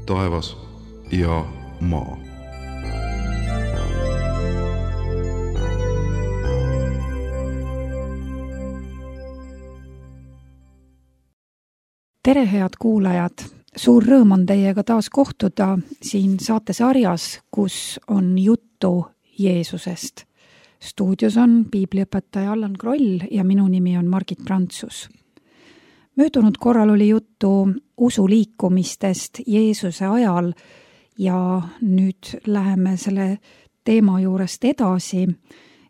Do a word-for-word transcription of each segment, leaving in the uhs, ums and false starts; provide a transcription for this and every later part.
taevas ja maa. Tere, head kuulajad! Suur rõõm on teiega taas kohtuda siin saatesarjas, kus on juttu Jeesusest. Stuudios on piibliõpetaja Allan Kroll ja minu nimi on Margit Prantsus. Möödunud korral oli juttu usuliikumistest Jeesuse ajal ja nüüd läheme selle teema juurest edasi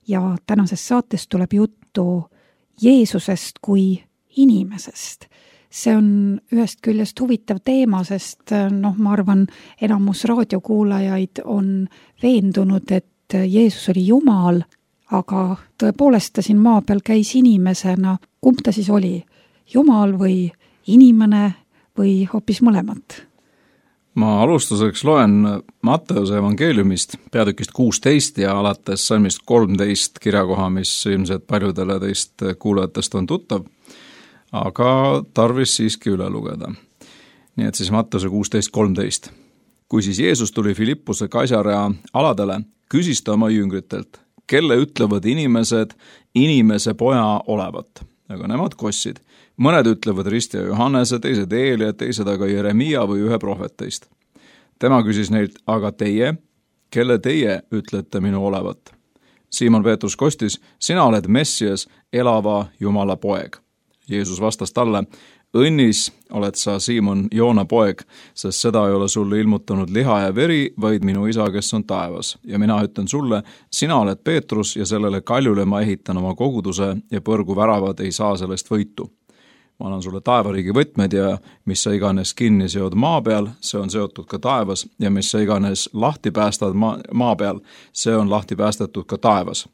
ja tänases saates tuleb juttu Jeesusest kui inimesest. See on ühest küljest huvitav teema, sest noh, ma arvan, enamus raadiokuulajaid on veendunud, et Jeesus oli Jumal, aga tõepoolest ta siin maa peal käis inimesena. Kumb ta siis oli? Jumal või inimene või hoopis mõlemat? Ma alustuseks loen Matteuse evangeeliumist peatükist kuusteist ja alates salmist kolmteist kirjakoha, mis ilmselt paljudele teist kuulajatest on tuttav, aga tarvis siiski üle lugeda. Nii et siis Matteuse kuusteist kolmteist. Kui siis Jeesus tuli Filippuse Kaisarea aladele, küsis ta oma jüngritelt, kelle ütlevad inimesed inimese poja olevat. Aga nemad kossid. Mõned ütlevad Ristja Johannese, teised Eelia, teised aga Jeremia või ühe prohveteist. Tema küsis neilt, aga teie, kelle teie ütlete minu olevat? Siimon Peetrus kostis, sina oled Messias, elava Jumala poeg. Jeesus vastas talle, õnnis oled sa, Siimon, Joona poeg, sest seda ei ole sulle ilmutanud liha ja veri, vaid minu isa, kes on taevas. Ja mina ütlen sulle, sina oled Peetrus ja sellele kaljule ma ehitan oma koguduse ja põrgu väravad ei saa sellest võitu. Ma annan sulle taevariigi võtmed ja mis sa iganes kinni seod maa peal, see on seotud ka taevas ja mis sa iganes lahti päästad maa, maa peal, see on lahti päästetud ka taevas.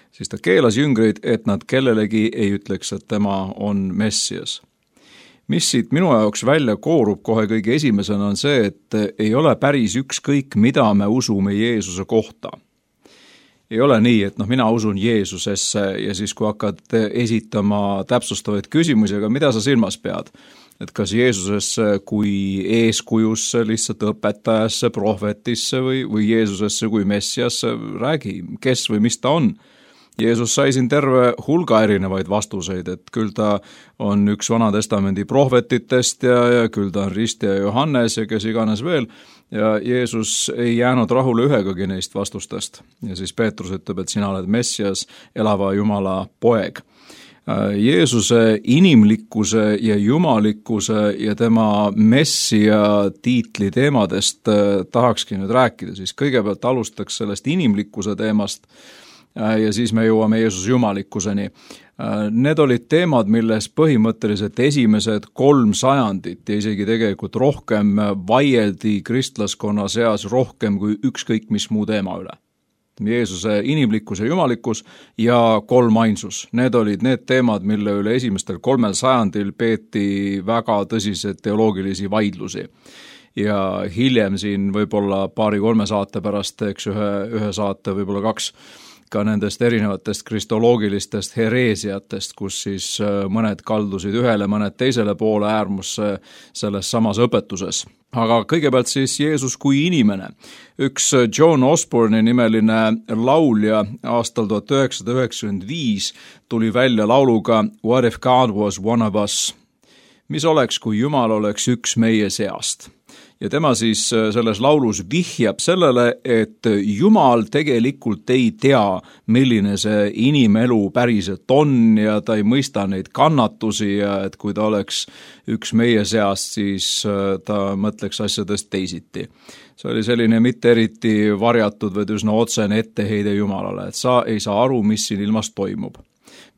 Siis ta keelas jüngreid, et nad kellelegi ei ütleks, et tema on Messias. Mis siit minu jaoks välja koorub kohe kõige esimesena on see, et ei ole päris ükskõik, mida me usume Jeesuse kohta. Ei ole nii, et noh, mina usun Jeesusesse ja siis kui hakkad esitama täpsustavaid küsimusi, aga mida sa silmas pead? Et kas Jeesusesse kui eeskujusse, lihtsalt õpetajasse, prohvetisse või, või Jeesusesse kui Messiasse, räägi, kes või mis ta on. Jeesus sai siin terve hulga erinevaid vastuseid, et küll ta on üks Vana Testamendi prohvetitest ja, ja küll ta on Ristja Johannes ja kes iganes veel, ja Jeesus ei jäänud rahule ühegagi neist vastustest. Ja siis Peetrus ütleb, et sina oled Messias, elava Jumala poeg. Jeesuse inimlikkuse ja jumalikkuse ja tema messia tiitli teemadest tahakski nüüd rääkida, siis kõigepealt alustaks sellest inimlikkuse teemast, ja siis me jõuame Jeesuse jumalikkuseni. Need olid teemad, milles põhimõtteliselt esimesed kolm sajandit ja isegi tegelikult rohkem vaieldi kristlaskonna seas rohkem kui ükskõik mis muu teema üle. Jeesuse inimlikkus ja jumalikkus ja kolmainsus. Need olid need teemad, mille üle esimestel kolmel sajandil peeti väga tõsiseid teoloogilisi vaidlusi. Ja hiljem siin võib-olla paari-kolme saate pärast, eks ühe, ühe saate, võib-olla kaks, ka nendest erinevatest kristoloogilistest hereesiatest, kus siis mõned kaldusid ühele, mõned teisele poole äärmusse selles samas õpetuses. Aga kõigepealt siis Jeesus kui inimene. Üks John Osborne'i nimeline laulja aastal tuhat üheksasada üheksakümmend viis tuli välja lauluga What if God was one of us? Mis oleks, kui Jumal oleks üks meie seast? Ja tema siis selles laulus vihjab sellele, et Jumal tegelikult ei tea, milline see inimelu päriselt on ja ta ei mõista neid kannatusi ja et kui ta oleks üks meie seast, siis ta mõtleks asjadest teisiti. See oli selline mitte eriti varjatud või üsna otsene etteheide Jumalale, et sa ei saa aru, mis siin ilmas toimub.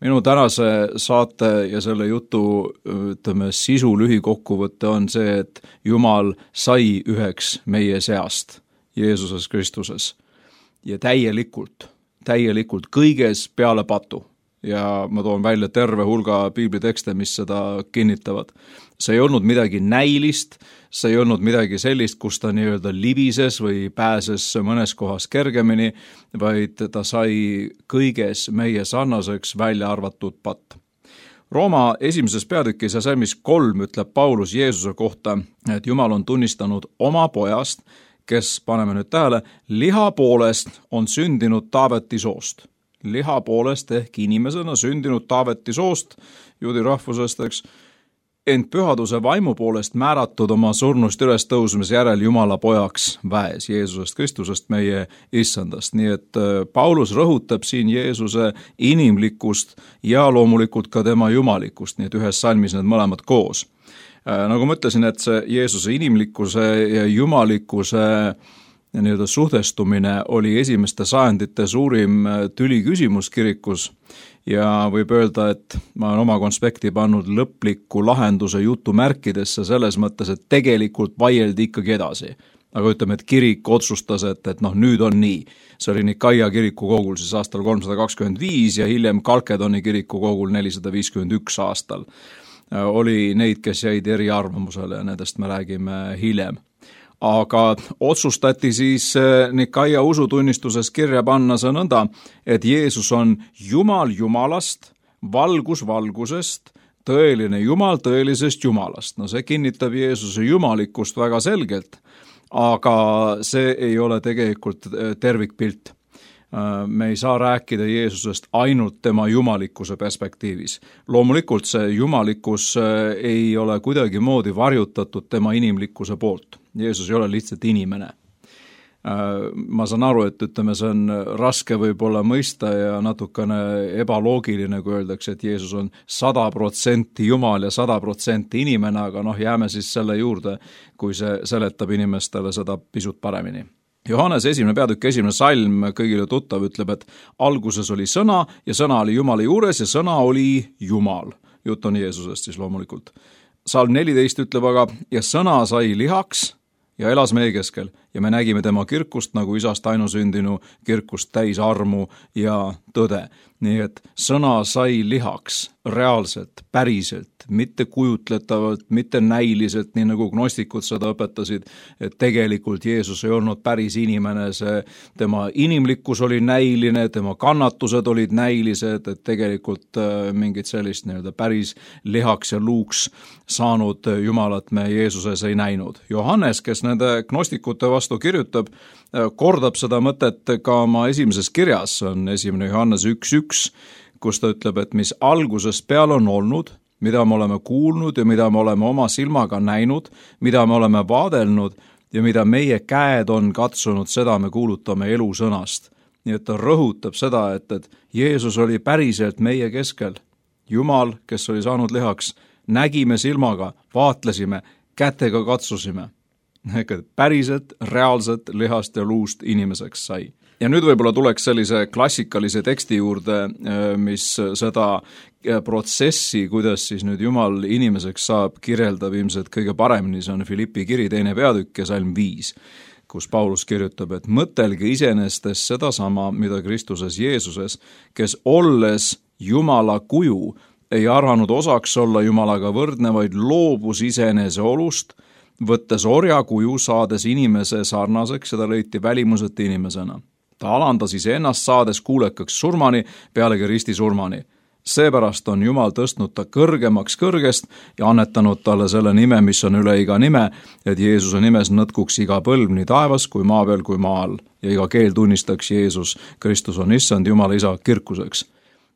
Minu tänase saate ja selle jutu ütleme, sisu lühikokkuvõte on see, et Jumal sai üheks meie seast Jeesuses Kristuses ja täielikult, täielikult kõiges peale patu. Ja ma toon välja terve hulga piiblitekste, mis seda kinnitavad. See ei olnud midagi näilist, see ei olnud midagi sellist, kus ta nii-öelda libises või pääses mõnes kohas kergemini, vaid ta sai kõiges meie sarnaseks välja arvatud patt. Rooma esimeses peatükis ja salmis kolm ütleb Paulus Jeesuse kohta, et Jumal on tunnistanud oma pojast, kes, paneme nüüd tähele, liha poolest on sündinud Taaveti soost. Liha poolest ehk inimesena sündinud Taaveti soost, juudi rahvusest, eks, ent pühaduse vaimu poolest määratud oma surnust üles tõusmise järel Jumala pojaks väes, Jeesusest Kristusest, meie issandast. Nii et Paulus rõhutab siin Jeesuse inimlikkust ja loomulikult ka tema jumalikkust, nii et ühes salmis need mõlemad koos. Nagu ma ütlesin, et see Jeesuse inimlikkuse ja jumalikkuse nii-öelda suhtestumine oli esimeste sajandite suurim tüli küsimus kirikus ja võib öelda, et ma olen oma konspekti pannud lõpliku lahenduse jutumärkidesse selles mõttes, et tegelikult vaieldi ikkagi edasi. Aga ütleme, et kirik otsustas, et, et noh, nüüd on nii. See oli Nikaia kirikukogul siis aastal kolmsada kakskümmend viis ja hiljem Kalkedoni kirikukogul nelisada viiskümmend üks aastal. Oli neid, kes jäid eriarvamusele ja nendest me räägime hiljem. Aga otsustati siis Nikaia usutunnistuses kirja panna see nõnda, et Jeesus on Jumal Jumalast, valgus valgusest, tõeline Jumal tõelisest Jumalast. No see kinnitab Jeesuse jumalikkust väga selgelt, aga see ei ole tegelikult tervikpilt. Me ei saa rääkida Jeesusest ainult tema jumalikkuse perspektiivis. Loomulikult see jumalikkus ei ole kuidagi moodi varjutatud tema inimlikkuse poolt. Jeesus ei ole lihtsalt inimene. Ma saan aru, et ütleme, see on raske võib-olla mõista ja natukene ebaloogiline, kui öeldakse, et Jeesus on sada protsenti Jumal ja sada protsenti inimene, aga noh, jääme siis selle juurde, kui see seletab inimestele seda pisut paremini. Johannes esimene peatükk, esimene salm, kõigile tuttav, ütleb, et alguses oli sõna ja sõna oli Jumala juures ja sõna oli Jumal. Jutt on Jeesusest siis loomulikult. Salm neliteist ütleb aga, ja sõna sai lihaks ja elas meie keskel ja me nägime tema kirkust nagu isast ainusündinu kirkust täis armu ja tõde. Nii et sõna sai lihaks reaalselt, päriselt, mitte kujutletavalt, mitte näiliselt, nii nagu gnostikud seda õpetasid, et tegelikult Jeesus ei olnud päris inimene, see tema inimlikkus oli näiline, tema kannatused olid näilised, et tegelikult mingit sellist nii-öelda päris lihaks ja luuks saanud Jumalat me Jeesuses ei näinud. Johannes, kes nende gnostikute vastu kirjutab, kordab seda mõtet ka oma esimeses kirjas, on esimene Johannes üks üks, kus ta ütleb, et mis alguses peal on olnud, mida me oleme kuulnud ja mida me oleme oma silmaga näinud, mida me oleme vaadelnud ja mida meie käed on katsunud, seda me kuulutame elusõnast. Nii et ta rõhutab seda, et, et Jeesus oli päriselt meie keskel. Jumal, kes oli saanud lihaks, nägime silmaga, vaatlesime, kätega katsusime. Päriselt, reaalselt lihast ja luust inimeseks sai. Ja nüüd võib-olla tuleks sellise klassikalise teksti juurde, mis seda protsessi, kuidas siis nüüd Jumal inimeseks saab, kirjeldab ilmselt kõige paremini, see on Filippi kiri teine peatükk ja salm viis, kus Paulus kirjutab, et mõtelge iseenestes sedasama, mida Kristuses Jeesuses, kes olles Jumala kuju, ei arvanud osaks olla Jumalaga võrdne, vaid loobus iseenese olust, võttes orja kuju, saades inimese sarnaseks ja ta leiti välimuselt inimesena. Ta alandas iseennast saades kuulekaks surmani, pealegi risti surmani. Seepärast on Jumal tõstnud ta kõrgemaks kõrgest ja annetanud talle selle nime, mis on üle iga nime, et Jeesuse nimes nõtkuks iga põlv nii taevas kui maa peal kui maa all ja iga keel tunnistaks Jeesus, Kristus on issand Jumala isa kirkuseks.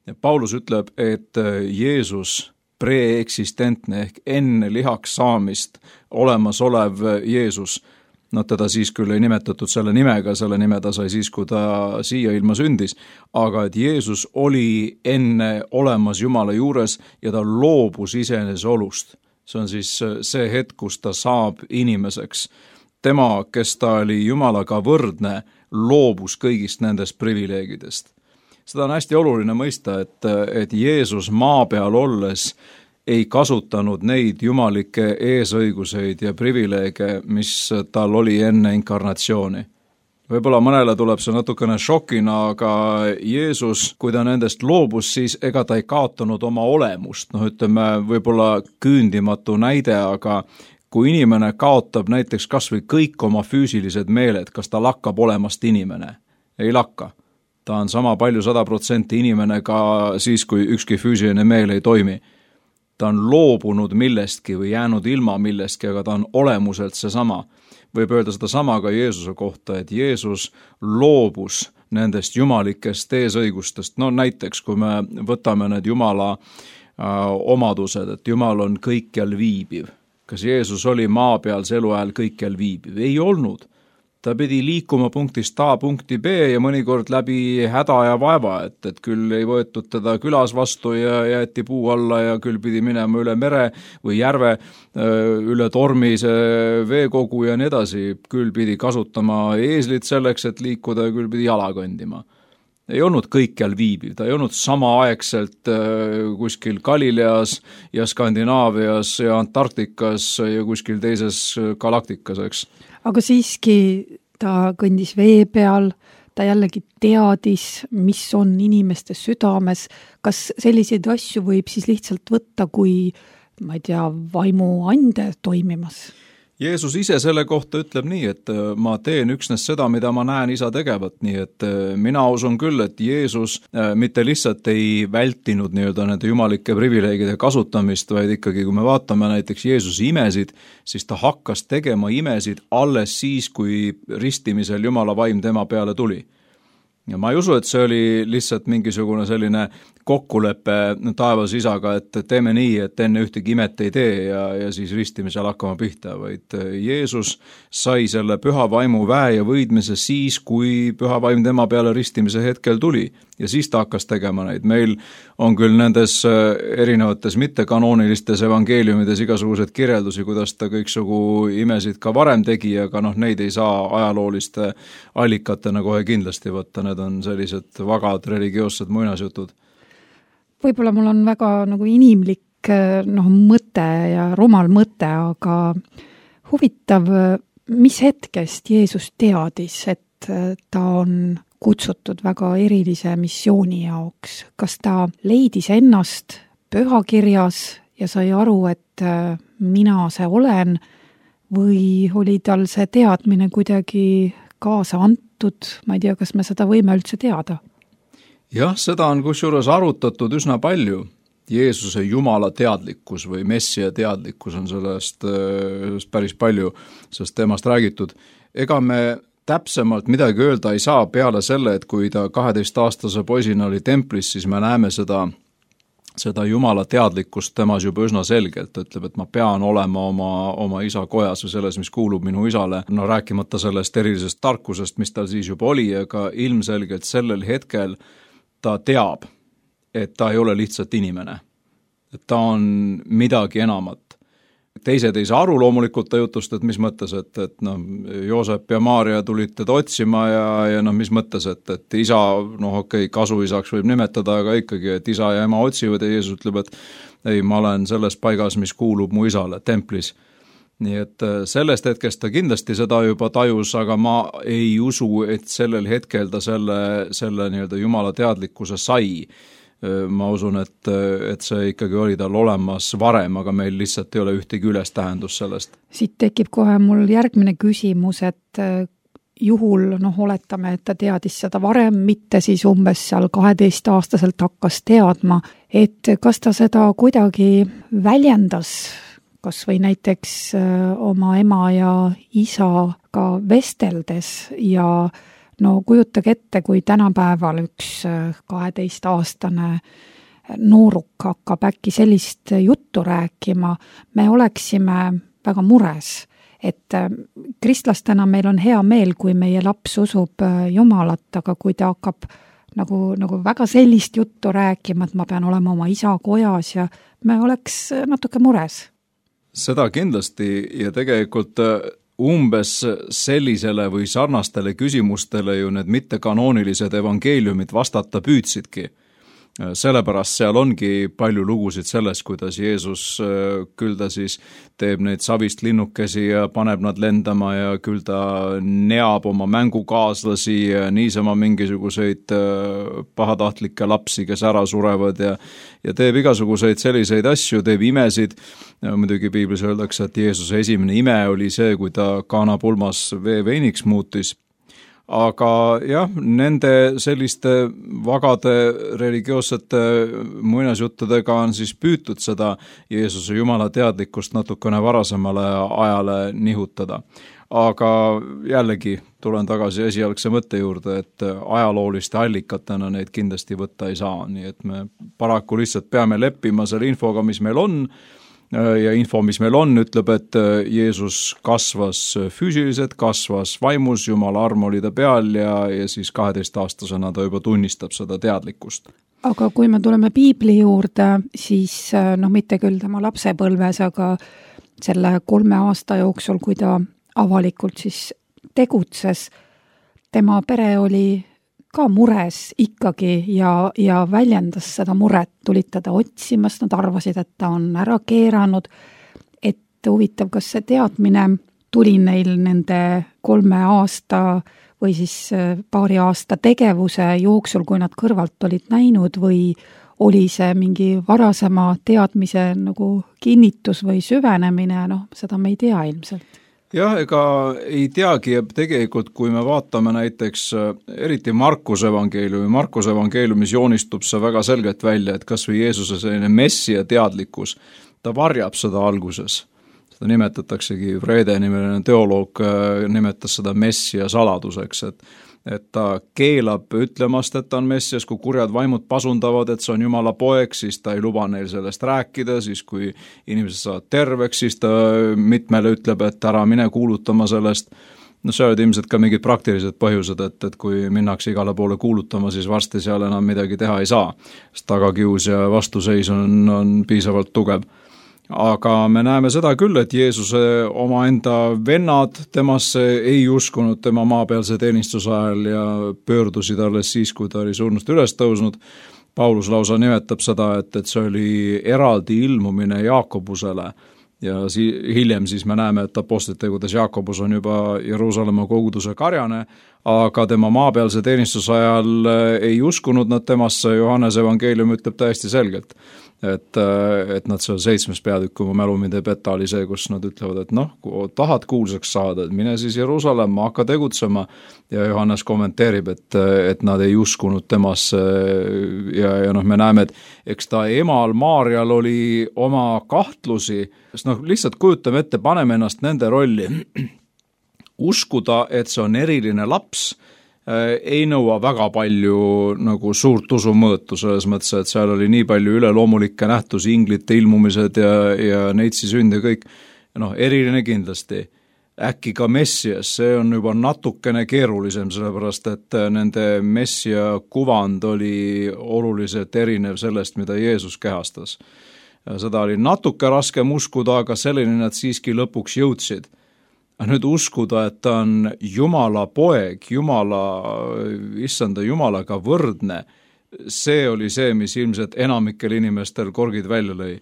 Ja Paulus ütleb, et Jeesus preeksistentne ehk enne lihaks saamist olemasolev Jeesus, no teda siis küll ei nimetatud selle nimega, selle nime ta sai siis, kui ta siia ilma sündis, aga et Jeesus oli enne olemas Jumala juures ja ta loobus iseenese olust. See on siis see hetk, kus ta saab inimeseks. Tema, kes ta oli Jumalaga võrdne, loobus kõigist nendest privileegidest. Seda on hästi oluline mõista, et, et Jeesus maa peal olles ei kasutanud neid jumalikke eesõiguseid ja privileege, mis tal oli enne inkarnatsiooni. Võib-olla mõnele tuleb see natukene šokina, aga Jeesus, kui ta nendest loobus, siis ega ta ei kaotanud oma olemust. No ütleme, võib-olla küündimatu näide, aga kui inimene kaotab näiteks kas või kõik oma füüsilised meeled, kas ta lakkab olemast inimene? Ei lakka. Ta on sama palju sada protsenti inimene ka siis, kui ükski füüsiline meel ei toimi. ta on loobunud millestki või jäänud ilma millestki, aga ta on olemuselt seesama. Võib öelda seda sama ka Jeesuse kohta, et Jeesus loobus nendest jumalikest eesõigustest. No näiteks, kui me võtame need Jumala äh, omadused, et Jumal on kõikjal viibiv. Kas Jeesus oli maa peal see eluajal kõikjal viibiv? Ei olnud. Ta pidi liikuma punktist A punkti B ja mõnikord läbi häda ja vaeva, et, et küll ei võetud teda külas vastu ja jäeti puu alla ja küll pidi minema üle mere või järve, üle tormise veekogu ja nii edasi. Küll pidi kasutama eeslit selleks, et liikuda ja küll pidi jala kõndima. Ei olnud kõikjal viibiv, ta ei olnud samaaegselt kuskil Galileas ja Skandinaavias ja Antarktikas ja kuskil teises galaktikas, eks. Aga siiski ta kõndis vee peal, ta jällegi teadis, mis on inimeste südames. Kas selliseid asju võib siis lihtsalt võtta, kui, ma ei tea, vaimu ande toimimas? Jeesus ise selle kohta ütleb nii, et ma teen üksnes seda, mida ma näen isa tegevat, nii et mina usun küll, et Jeesus mitte lihtsalt ei vältinud nii-öelda nende jumalike privileegide kasutamist, vaid ikkagi, kui me vaatame näiteks Jeesuse imesid, siis ta hakkas tegema imesid alles siis, kui ristimisel Jumala vaim tema peale tuli. Ja ma ei usu, et see oli lihtsalt mingisugune selline kokkulepe taevas isaga, et teeme nii, et enne ühtegi imet ei tee ja, ja siis ristimisel hakkama pihta, vaid Jeesus sai selle püha vaimu väe ja võidmise siis, kui püha vaim tema peale ristimise hetkel tuli. Ja siis ta hakkas tegema neid. Meil on küll nendes erinevates mittekanoonilistes evangeeliumides igasugused kirjeldusi, kuidas ta kõiksugu imesid ka varem tegi, aga noh, neid ei saa ajalooliste allikatena kohe kindlasti võtta. Need on sellised vagad religioossed muinasjutud. Võib-olla mul on väga nagu inimlik noh, mõte ja rumal mõte, aga huvitav, mis hetkest Jeesus teadis, et ta on kutsutud väga erilise missiooni jaoks. Kas ta leidis ennast pühakirjas ja sai aru, et mina see olen, või oli tal see teadmine kuidagi kaasa antud? Ma ei tea, kas me seda võime üldse teada? Jah, seda on kusjuures arutatud üsna palju. Jeesuse Jumala teadlikkus või Messia teadlikkus on sellest, sellest päris palju, sellest teemast räägitud. Ega me täpsemalt midagi öelda ei saa peale selle, et kui ta kaheteistaastase poisina oli templis, siis me näeme seda, seda Jumala teadlikkust temas juba üsna selgelt. Ta ütleb, et ma pean olema oma, oma isa kojas või selles, mis kuulub minu isale. No rääkimata sellest erilisest tarkusest, mis tal siis juba oli, aga ilmselgelt sellel hetkel ta teab, et ta ei ole lihtsalt inimene. Et ta on midagi enamat. Teised ei saa aru loomulikult ta jutust, et mis mõttes, et, et no, Joosep ja Maaria tulid teda otsima ja, ja no, mis mõttes, et, et isa, noh okei, okay, kasuisaks võib nimetada, aga ikkagi, et isa ja ema otsivad ja Jeesus ütleb, et ei, ma olen selles paigas, mis kuulub mu isale, templis. Nii et sellest hetkest ta kindlasti seda juba tajus, aga ma ei usu, et sellel hetkel ta selle, selle nii-öelda Jumala teadlikkuse sai. Ma usun, et, et see ikkagi oli tal olemas varem, aga meil lihtsalt ei ole ühtegi ülestähendus sellest. Siit tekib kohe mul järgmine küsimus, et juhul, noh, oletame, et ta teadis seda varem, mitte siis umbes seal kaheteistaastaselt hakkas teadma, et kas ta seda kuidagi väljendas, kas või näiteks oma ema ja isaga vesteldes ja no kujutage ette, kui tänapäeval üks kaheteistaastane nooruk hakkab äkki sellist juttu rääkima, me oleksime väga mures, et kristlastena meil on hea meel, kui meie laps usub Jumalat, aga kui ta hakkab nagu, nagu väga sellist juttu rääkima, et ma pean olema oma isa kojas ja me oleks natuke mures. Seda kindlasti ja tegelikult umbes sellisele või sarnastele küsimustele ju need mittekanoonilised evangeeliumid vastata püüdsidki. Sellepärast seal ongi palju lugusid sellest, kuidas Jeesus küll ta siis teeb neid savist linnukesi ja paneb nad lendama ja küll ta neab oma mängukaaslasi ja niisama mingisuguseid pahatahtlikke lapsi, kes ära surevad ja, ja teeb igasuguseid selliseid asju, teeb imesid. Muidugi piiblis öeldakse, et Jeesuse esimene ime oli see, kui ta Kaana pulmas vee veiniks muutis. aga jah, nende selliste vagade religioossete muinasjuttudega on siis püütud seda Jeesuse Jumala teadlikkust natukene varasemale ajale nihutada. Aga jällegi tulen tagasi esialgse mõtte juurde, et ajalooliste allikatena neid kindlasti võtta ei saa, nii et me paraku lihtsalt peame leppima selle infoga, mis meil on, ja info, mis meil on, ütleb, et Jeesus kasvas füüsiliselt, kasvas vaimus, Jumala arm oli ta peal ja, ja siis kaheteistaastasena ta juba tunnistab seda teadlikkust. Aga kui me tuleme piibli juurde, siis noh, mitte küll tema lapsepõlves, aga selle kolme aasta jooksul, kui ta avalikult siis tegutses, tema pere oli ka mures ikkagi ja, ja väljendas seda muret, tulid teda otsimas, nad arvasid, et ta on ära keeranud, et huvitav, kas see teadmine tuli neil nende kolme aasta või siis paari aasta tegevuse jooksul, kui nad kõrvalt olid näinud, või oli see mingi varasema teadmise nagu kinnitus või süvenemine, noh, seda me ei tea ilmselt. Jah, ega ei teagi, ja tegelikult kui me vaatame näiteks eriti Markuse evangeeliumi, Markuse evangeeliumis joonistub see väga selgelt välja, et kas või Jeesuse selline messia teadlikkus, ta varjab seda alguses. Seda nimetataksegi, Vrede nimeline teoloog nimetas seda messia saladuseks, et et ta keelab ütlemast, et ta on messias, kui kurjad vaimud pasundavad, et see on Jumala poeg, siis ta ei luba neil sellest rääkida, siis kui inimesed saavad terveks, siis ta mitmele ütleb, et ära mine kuulutama sellest. No see olid ilmselt ka mingid praktilised põhjused, et, et kui minnakse igale poole kuulutama, siis varsti seal enam midagi teha ei saa, sest tagakius ja vastuseis on, on piisavalt tugev. Aga me näeme seda küll, et Jeesuse omaenda vennad temasse ei uskunud tema maapealse teenistuse ajal ja pöördusid alles siis, kui ta oli surnust üles tõusnud. Paulus lausa nimetab seda, et, et see oli eraldi ilmumine Jaakobusele ja si- hiljem siis me näeme, et apostlitegudes Jaakobus on juba Jeruusalemma koguduse karjane, aga tema maapealse teenistuse ajal ei uskunud nad temasse. Johannes evangeelium ütleb täiesti selgelt, et, et nad seal seitsmes peatükk, kui mu mälu mind ei peta, oli see, kus nad ütlevad, et noh, kui tahad kuulsaks saada, et mine siis Jeruusalemma, hakka tegutsema, ja Johannes kommenteerib, et, et nad ei uskunud temasse ja, ja noh, me näeme, et eks ta emal Maarjal oli oma kahtlusi, sest noh, lihtsalt kujutame ette, paneme ennast nende rolli, uskuda, et see on eriline laps, ei nõua väga palju nagu suurt usumõõtu, selles mõttes, et seal oli nii palju üleloomulikke nähtusi, inglite ilmumised ja, ja neitsi sünd ja kõik, noh, eriline kindlasti. Äkki ka messias, see on juba natukene keerulisem, sellepärast et nende messia kuvand oli oluliselt erinev sellest, mida Jeesus kehastas. Seda oli natuke raskem uskuda, aga selleni nad siiski lõpuks jõudsid. Nüüd uskuda, et ta on Jumala poeg, Jumala, issanda Jumalaga võrdne, see oli see, mis ilmselt enamikel inimestel korgid välja lõi.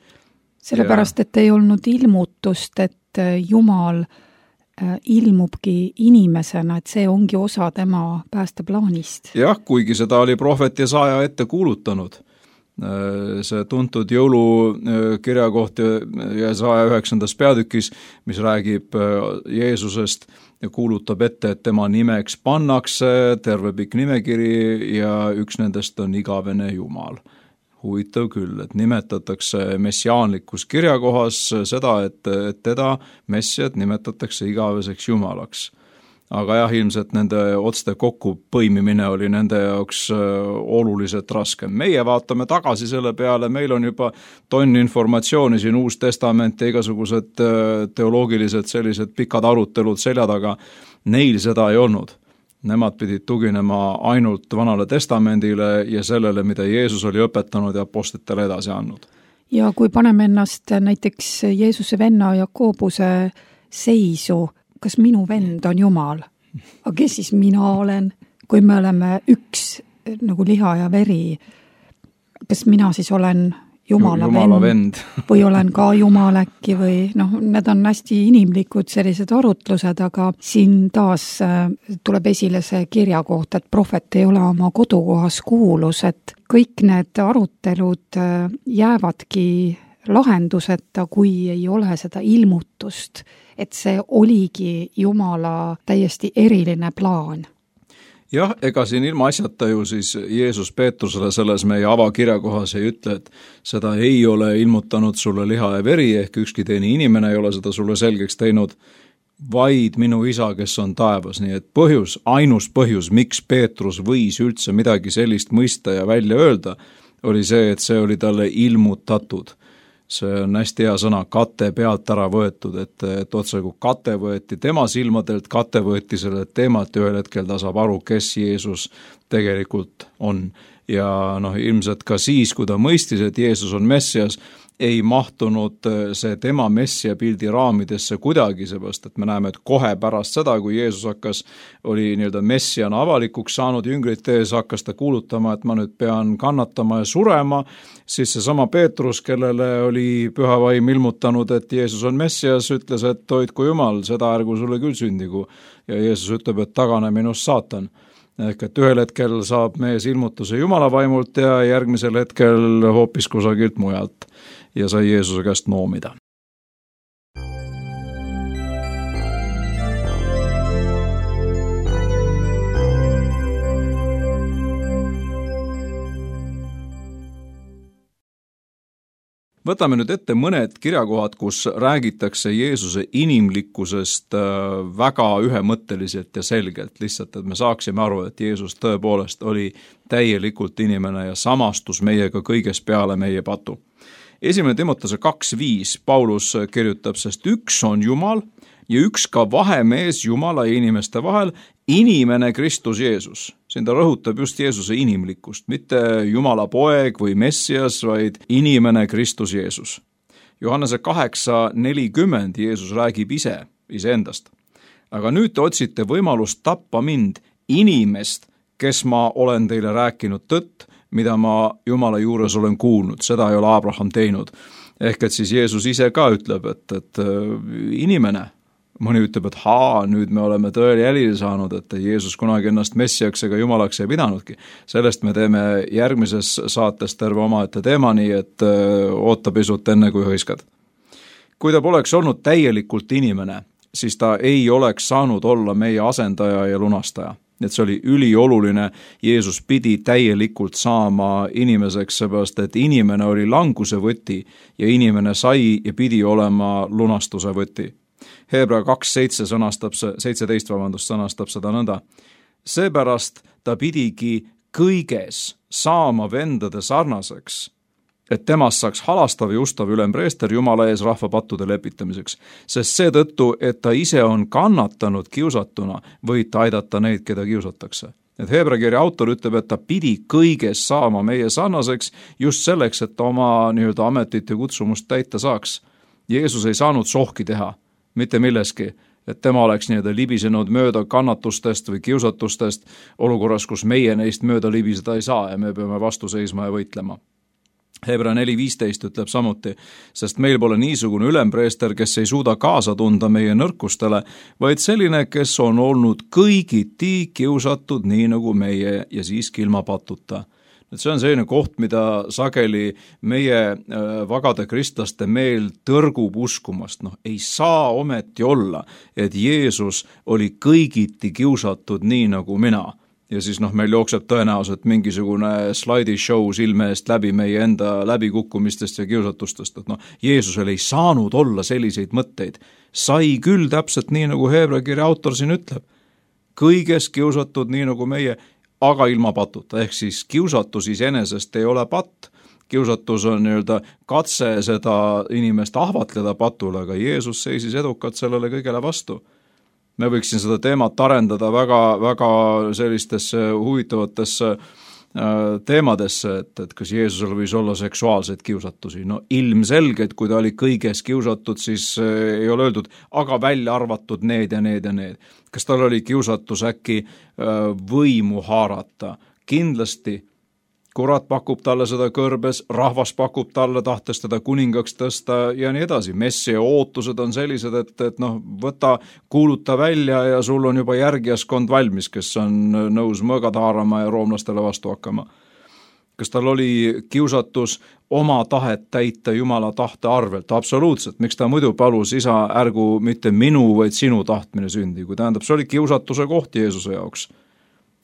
Sellepärast, et ei olnud ilmutust, et Jumal ilmubki inimesena, et see ongi osa tema päästeplaanist. Jah, kuigi seda oli prohvet Jesaja ette kuulutanud. See tuntud jõulukirja koht Jesaja üheksandas peatükis, mis räägib Jeesusest ja kuulutab ette, et tema nimeks pannakse terve pikk nimekiri ja üks nendest on igavene Jumal. Huvitav küll, et nimetatakse messiaanlikus kirjakohas seda, et, et teda, messiat, nimetatakse igaveseks Jumalaks. Aga jah, ilmselt nende otste kokku põimimine oli nende jaoks oluliselt raskem. Meie vaatame tagasi selle peale, meil on juba tonn informatsiooni siin Uus Testament ja igasugused teoloogilised sellised pikad arutelud selja taga. Neil seda ei olnud. Nemad pidid tuginema ainult Vanale Testamendile ja sellele, mida Jeesus oli õpetanud ja apostlitele edasi andnud. Ja kui paneme ennast näiteks Jeesuse venna Jakobuse seisu, kas minu vend on Jumal? Aga kes siis mina olen, kui me oleme üks nagu liha ja veri? Kas mina siis olen Jumala, Jumala vend, vend. või olen ka Jumal äkki või noh, need on hästi inimlikud sellised arutlused, aga siin taas tuleb esile see kirja kohta, et prohvet ei ole oma kodukohas kuulus, et kõik need arutelud jäävadki lahenduseta, kui ei ole seda ilmutust, et see oligi Jumala täiesti eriline plaan. jah, ega siin ilma asjata ju siis Jeesus Peetrusele selles meie avakirjakohas ei ütle, et seda ei ole ilmutanud sulle liha ja veri, ehk ükski teine inimene ei ole seda sulle selgeks teinud, vaid minu isa, kes on taevas. Nii et põhjus, ainus põhjus, miks Peetrus võis üldse midagi sellist mõista ja välja öelda, oli see, et see oli talle ilmutatud. See on hästi hea sõna, kate pealt ära võetud, et, et otse kui kate võeti tema silmadelt, kate võeti selle teemalt ja ühel hetkel ta saab aru, kes Jeesus tegelikult on. Ja noh, ilmselt ka siis, kui ta mõistis, et Jeesus on Messias, ei mahtunud see tema messia pildi raamidesse kuidagi, seepärast, et me näeme, et kohe pärast seda, kui Jeesus hakkas, oli nii-öelda messiana avalikuks saanud, jüngrite ees hakkas ta kuulutama, et ma nüüd pean kannatama ja surema, siis seesama Peetrus, kellele oli püha vaim ilmutanud, et Jeesus on messias, ütles, et hoidku Jumal, seda ärgu sulle küll sündigu. Ja Jeesus ütleb, et tagane minust saatan. Ehk et ühel hetkel saab mees ilmutuse Jumala vaimult ja järgmisel hetkel hoopis kusagilt mujalt ja sai Jeesuse käest noomida. Võtame nüüd ette mõned kirjakohad, kus räägitakse Jeesuse inimlikkusest väga ühemõtteliselt ja selgelt, lihtsalt, et me saaksime aru, et Jeesus tõepoolest oli täielikult inimene ja samastus meiega kõiges peale meie patu. Esimene Timotese kaks viis Paulus kirjutab, sest üks on Jumal ja üks ka vahemees Jumala ja inimeste vahel, inimene Kristus Jeesus. Siin ta rõhutab just Jeesuse inimlikkust, mitte Jumala poeg või Messias, vaid inimene Kristus Jeesus. Johannese kaheksa nelikümmend Jeesus räägib ise, iseendast. Aga nüüd te otsite võimalust tappa mind, inimest, kes ma olen teile rääkinud tõtt, mida ma Jumala juures olen kuulnud, seda ei ole Abraham teinud. Ehk et siis Jeesus ise ka ütleb, et, et inimene, mõni ütleb, et haa, nüüd me oleme tõele jälile saanud, et Jeesus kunagi ennast messiaks ega jumalaks ei pidanudki. Sellest me teeme järgmises saates terve omaette teema, nii et oota pisut enne kui hõiskad. Kui ta poleks olnud täielikult inimene, siis ta ei oleks saanud olla meie asendaja ja lunastaja. Et see oli ülioluline, Jeesus pidi täielikult saama inimeseks, seepärast, et inimene oli languse võti ja inimene sai ja pidi olema lunastuse võti. Hebra kaks seitse sõnastab see, seitseteist vabandust sõnastab seda nõnda. Seepärast ta pidigi kõiges saama vendade sarnaseks, et temast saaks halastav ja ustav ülempreester Jumala ees rahva pattude lepitamiseks, sest seetõttu, et ta ise on kannatanud kiusatuna, võid ta aidata neid, keda kiusatakse. Et Hebra kirja autor ütleb, et ta pidi kõiges saama meie sarnaseks just selleks, et ta oma nii-öelda ametit ja kutsumust täita saaks. Jeesus ei saanud sohki teha, mitte milleski, et tema oleks nii-öelda libisenud mööda kannatustest või kiusatustest olukorras, kus meie neist mööda libiseda ei saa ja me peame vastu seisma ja võitlema. Hebra neli viisteist ütleb samuti, sest meil pole niisugune ülempreester, kes ei suuda kaasa tunda meie nõrkustele, vaid selline, kes on olnud kõigiti kiusatud nii nagu meie ja siiski ilma patuta. Et see on selline koht, mida sageli meie vagade kristlaste meel tõrgub uskumast. No, ei saa ometi olla, et Jeesus oli kõigiti kiusatud nii nagu mina. Ja siis noh, meil jookseb tõenäoliselt mingisugune slaidishow silme eest läbi meie enda läbikukkumistest ja kiusatustest. Et noh, Jeesusel ei saanud olla selliseid mõtteid. Sai küll täpselt nii, nagu Hebra kirja autor siin ütleb. Kõiges kiusatud nii nagu meie, aga ilma patuta. Ehk siis kiusatus iseenesest ei ole patt. Kiusatus on nii-öelda katse seda inimest ahvatleda patule, aga Jeesus seisis edukalt sellele kõigele vastu. Me võiksin seda teemat arendada väga, väga sellistesse huvitavatesse teemadesse, et, et kas Jeesusel võis olla seksuaalseid kiusatusi. No ilmselgelt, kui ta oli kõiges kiusatud, siis ei ole öeldud, aga välja arvatud need ja need ja need. Kas tal oli kiusatus äkki võimu haarata? Kindlasti. Kurat pakub talle seda kõrbes, rahvas pakub talle, tahtes teda kuningaks tõsta ja nii edasi. Messia ootused on sellised, et, et noh, võta, kuuluta välja ja sul on juba järgijaskond valmis, kes on nõus mõõgad haarama ja roomlastele vastu hakkama. Kas tal oli kiusatus oma tahet täita Jumala tahte arvelt? Absoluutselt. Miks ta muidu palus, isa, ärgu mitte minu, vaid sinu tahtmine sündi? Kui tähendab, see oli kiusatuse koht Jeesuse jaoks.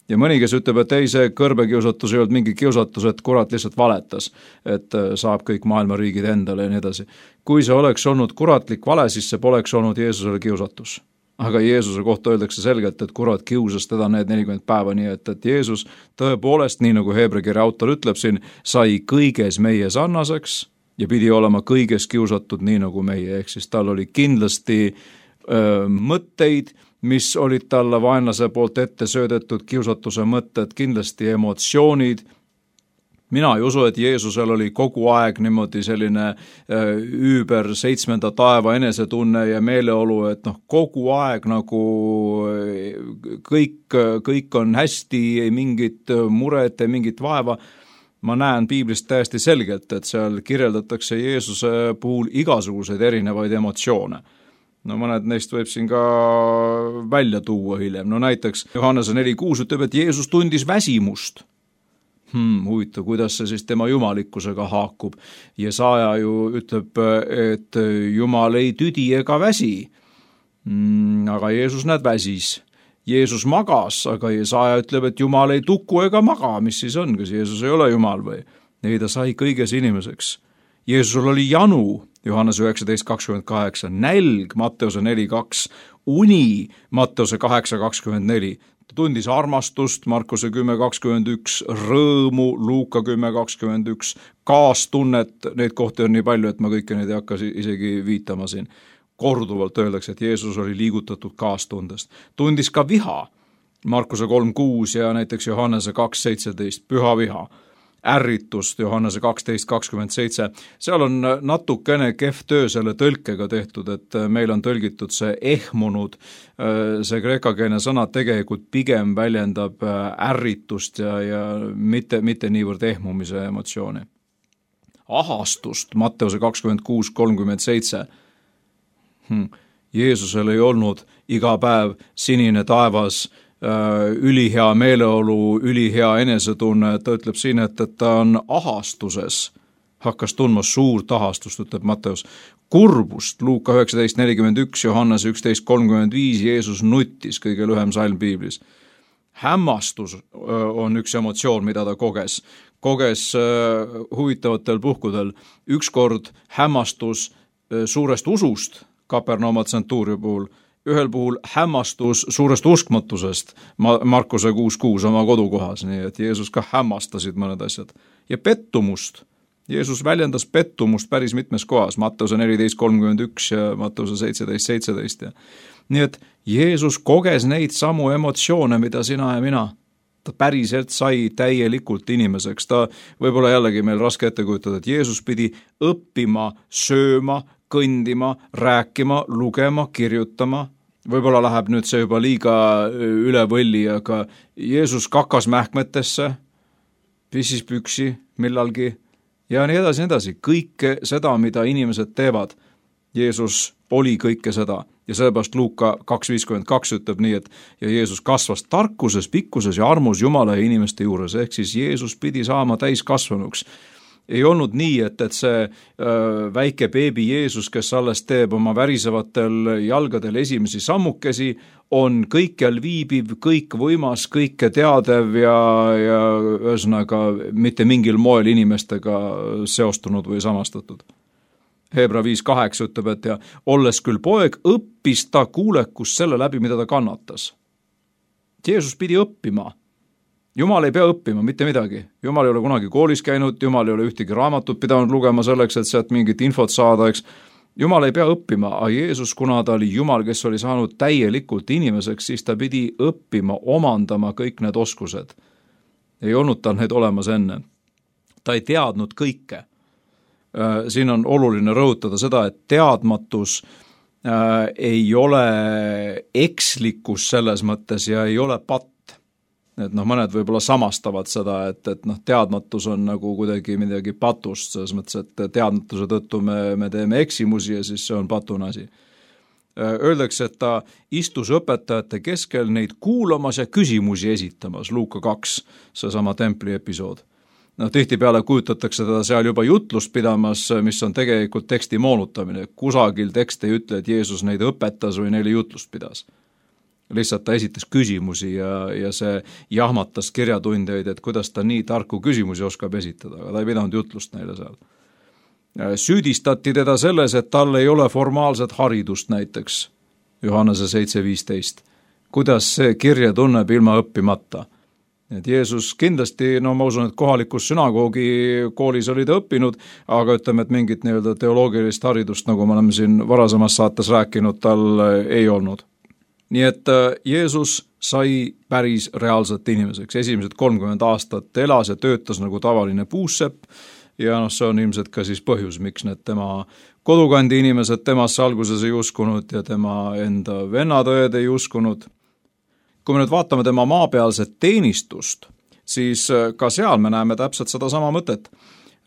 ja mõni, kes ütleb, et ei, see kõrbekiusatus ei olnud mingi kiusatus, et kurat lihtsalt valetas, et saab kõik maailma riigid endale ja nii edasi. Kui see oleks olnud kuratlik vale, siis see poleks olnud Jeesusele kiusatus. Aga Jeesuse kohta öeldakse selgelt, et kurat kiusas teda need nelikümmend päeva, nii et, et Jeesus tõepoolest, nii nagu Heebra kirja autor ütleb siin, sai kõiges meie sarnaseks ja pidi olema kõiges kiusatud nii nagu meie, ehk siis tal oli kindlasti öö, mõtteid, mis olid talle vaenlase poolt ette söödetud kiusatuse mõtted, kindlasti emotsioonid. Mina ei usu, et Jeesusel oli kogu aeg niimoodi selline üüber seitsmenda taeva enesetunne ja meeleolu, et noh, kogu aeg nagu kõik, kõik on hästi, ei mingit muret, ei mingit vaeva. Ma näen piiblist täiesti selgelt, et seal kirjeldatakse Jeesuse puhul igasuguseid erinevaid emotsioone. No mõned neist võib siin ka välja tuua hiljem. No näiteks Johannese neli kuus ütleb, et Jeesus tundis väsimust. Hmm, huvitav, kuidas see siis tema jumalikkusega haakub. Jesaja ju ütleb, et Jumal ei tüdi ega väsi, hmm, aga Jeesus näed väsis. Jeesus magas, aga Jesaja ütleb, et Jumal ei tuku ega maga, mis siis on, kas Jeesus ei ole Jumal või? Ei, ta sai kõiges inimeseks. Jeesusel oli janu, Johannese üheksateist kakskümmend kaheksa, nälg, Matteuse neli kaks, uni, Matteuse kaheksa kakskümmend neli, ta tundis armastust, Markuse kümme kakskümmend üks, rõõmu, Luuka kümme kakskümmend üks, kaastunnet, neid kohti on nii palju, et ma kõike neid ei hakka isegi viitama siin. Korduvalt öeldakse, et Jeesus oli liigutatud kaastundest. Tundis ka viha, Markuse kolm kuus ja näiteks Johannese kaks seitseteist, püha viha. Ärritust, Johannese kaksteist kakskümmend seitse, seal on natukene kehv töö selle tõlkega tehtud, et meil on tõlgitud see ehmunud, see kreekakeelne sõna tegelikult pigem väljendab ärritust ja, ja mitte, mitte niivõrd ehmumise emotsiooni. Ahastust, Matteuse kakskümmend kuus kolmkümmend seitse, hmm. Jeesusel ei olnud iga päev sinine taevas, ülihea meeleolu, ülihea enesetunne, ta ütleb siin, et, et ta on ahastuses, hakkas tundma suurt ahastust, ütleb Matteus, kurbust, Luuka üheksateist nelikümmend üks, Johannes üksteist kolmkümmend viis, Jeesus nuttis, kõige lühem salm piiblis. Hämmastus on üks emotsioon, mida ta koges, koges huvitavatel puhkudel, ükskord hämmastus suurest usust, Kapernauma tsentuuri puhul, ühel puhul hämmastus suurest uskmatusest Markuse kuus kuus oma kodukohas, nii et Jeesus ka hämmastasid mõned asjad. Ja pettumust. Jeesus väljendas pettumust päris mitmes kohas, Matteuse neliteist kolmkümmend üks ja Matteuse seitseteist seitseteist. Nii et Jeesus koges neid samu emotsioone, mida sina ja mina. Ta päriselt sai täielikult inimeseks. Ta võib-olla jällegi meil raske ette kujutada, et Jeesus pidi õppima, sööma, kõndima, rääkima, lugema, kirjutama. Võib-olla läheb nüüd see juba liiga üle võlli, aga Jeesus kakas mähkmetesse, pissis püksi millalgi ja nii edasi, nii edasi. Kõike seda, mida inimesed teevad, Jeesus oli kõike seda. Ja sellepärast Luuka kaks viiskümmend kaks ütleb nii, et ja Jeesus kasvas tarkuses, pikkuses ja armus Jumala ja inimeste juures, ehk siis Jeesus pidi saama täiskasvanuks. Ei olnud nii, et, et see öö, väike beebi Jeesus, kes alles teeb oma värisevatel jalgadel esimesi sammukesi, on kõikjal viibiv, kõik võimas, kõike teadev ja, ja ühesõnaga mitte mingil moel inimestega seostunud või samastatud. Heebra viis kaheksa ütleb, et ja olles küll poeg, õppis ta kuulekust selle läbi, mida ta kannatas. Jeesus pidi õppima. Jumal ei pea õppima mitte midagi. Jumal ei ole kunagi koolis käinud, Jumal ei ole ühtegi raamatut pidanud lugema selleks, et sealt mingit infot saada, eks. Jumal ei pea õppima, aga Jeesus, kuna ta oli Jumal, kes oli saanud täielikult inimeseks, siis ta pidi õppima, omandama kõik need oskused. Ei olnud tal need olemas enne. Ta ei teadnud kõike. Siin on oluline rõhutada seda, et teadmatus ei ole ekslikkus selles mõttes ja ei ole patt. Et noh, mõned võib-olla samastavad seda, et, et noh, teadmatus on nagu kuidagi midagi patust, selles mõttes, et teadmatuse tõttu me, me teeme eksimusi ja siis see on patune asi. Öeldakse, et ta istus õpetajate keskel neid kuulamas ja küsimusi esitamas, Luuka kaks, seesama templi episood. No, tihtipeale kujutatakse teda seal juba jutlust pidamas, mis on tegelikult teksti moonutamine. Kusagil tekst ei ütle, et Jeesus neid õpetas või neile jutlust pidas. lihtsalt ta esitas küsimusi ja, ja see jahmatas kirjatundjaid, et kuidas ta nii tarku küsimusi oskab esitada, aga ta ei pidanud jutlust neile seal. Süüdistati teda selles, et tal ei ole formaalset haridust näiteks, Johannese seitse viisteist. Kuidas see kirja tunneb ilma õppimata? Et Jeesus kindlasti, no ma usun, et kohalikus sünagoogi koolis oli ta õppinud, aga ütleme, et mingit nii-öelda teoloogilist haridust, nagu me oleme siin varasemas saates rääkinud, tal ei olnud. Nii et Jeesus sai päris reaalselt inimeseks. Esimesed kolmkümmend aastat elas ja töötas nagu tavaline puussepp ja noh, see on ilmselt ka siis põhjus, miks need tema kodukandi inimesed temasse alguses ei uskunud ja tema enda vennatõed ei uskunud. Kui me nüüd vaatame tema maapealset teenistust, siis ka seal me näeme täpselt seda sama mõtet.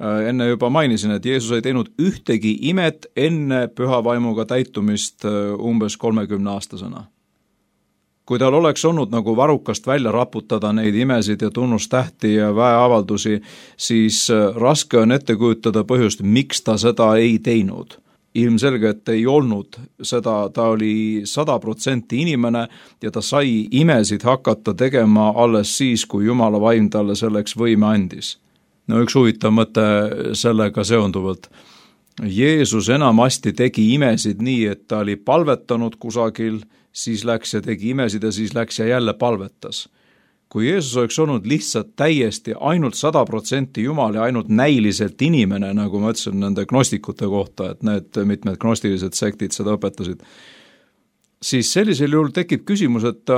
Enne juba mainisin, et Jeesus ei teinud ühtegi imet enne püha vaimuga täitumist umbes kolmekümne aastasena. Kui tal oleks olnud nagu varrukast välja raputada neid imesid ja tunnustähti ja väeavaldusi, siis raske on ette kujutada põhjust, miks ta seda ei teinud. Ilmselgelt ei olnud seda, ta oli sada protsenti inimene ja ta sai imesid hakata tegema alles siis, kui Jumala vaim talle selleks võime andis. No üks huvitav mõte sellega seonduvalt. Jeesus enamasti tegi imesid nii, et ta oli palvetanud kusagil, siis läks ja tegi imesid ja siis läks ja jälle palvetas. Kui Jeesus oleks olnud lihtsalt täiesti ainult sada protsenti Jumal ja ainult näiliselt inimene, nagu ma ütlesin nende gnostikute kohta, et need mitmed gnostilised sektid seda õpetasid, siis sellisel juhul tekib küsimus, et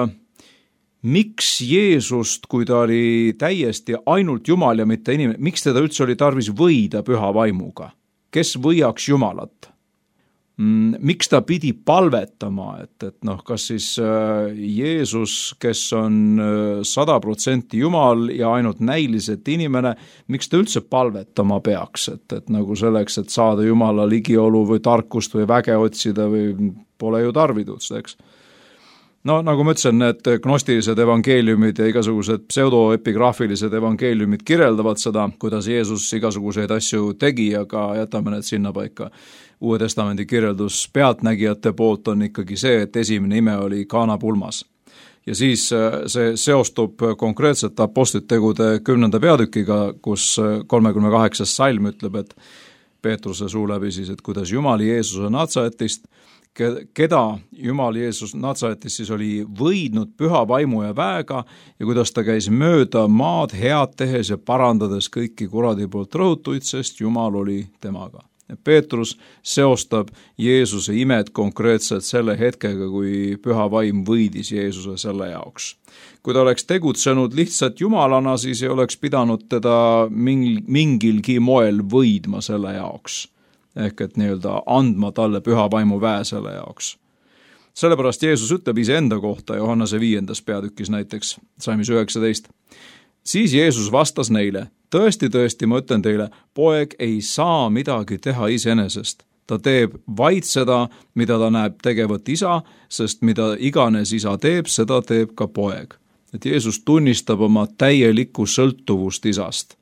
miks Jeesust, kui ta oli täiesti ainult Jumal ja mitte inimene, miks teda üldse oli tarvis võida püha vaimuga? Kes võiaks Jumalat? Miks ta pidi palvetama, et, et noh, kas siis Jeesus, kes on sada protsenti Jumal ja ainult näiliselt inimene, miks ta üldse palvetama peaks, et, et nagu selleks, et saada Jumala ligiolu või tarkust või väge otsida või pole ju tarvidust, eks? No nagu ma ütlesin, need gnostilised evangeeliumid ja igasugused pseudoepigraafilised evangeeliumid kirjeldavad seda, kuidas Jeesus igasuguseid asju tegi, aga jätame need sinna paika. Uue testamendi kirjeldus pealtnägijate poolt on ikkagi see, et esimene ime oli Kaana pulmas. Ja siis see seostub konkreetselt apostlitegude kümnenda peatükiga, kus kolmekümne kaheksas salm ütleb, et Peetruse suu läbi siis, et kuidas Jumal Jeesuse Natsaretist, keda Jumal Jeesus Natsaretist siis oli võidnud püha vaimu ja väega ja kuidas ta käis mööda maad head tehes ja parandades kõiki kuradi poolt rõhutuid, sest Jumal oli temaga. Peetrus seostab Jeesuse imed konkreetselt selle hetkega, kui püha vaim võidis Jeesuse selle jaoks. Kui ta oleks tegutsenud lihtsalt Jumalana, siis ei oleks pidanud teda mingilgi moel võidma selle jaoks. Ehk et nii-öelda andma talle püha vaimu väe selle jaoks. Sellepärast Jeesus ütleb iseenda kohta Johannese viiendas peatükis näiteks, salmis üheksateist. Siis Jeesus vastas neile, tõesti, tõesti, ma ütlen teile, poeg ei saa midagi teha iseenesest. Ta teeb vaid seda, mida ta näeb tegevat isa, sest mida iganes isa teeb, seda teeb ka poeg. Et Jeesus tunnistab oma täielikku sõltuvust isast.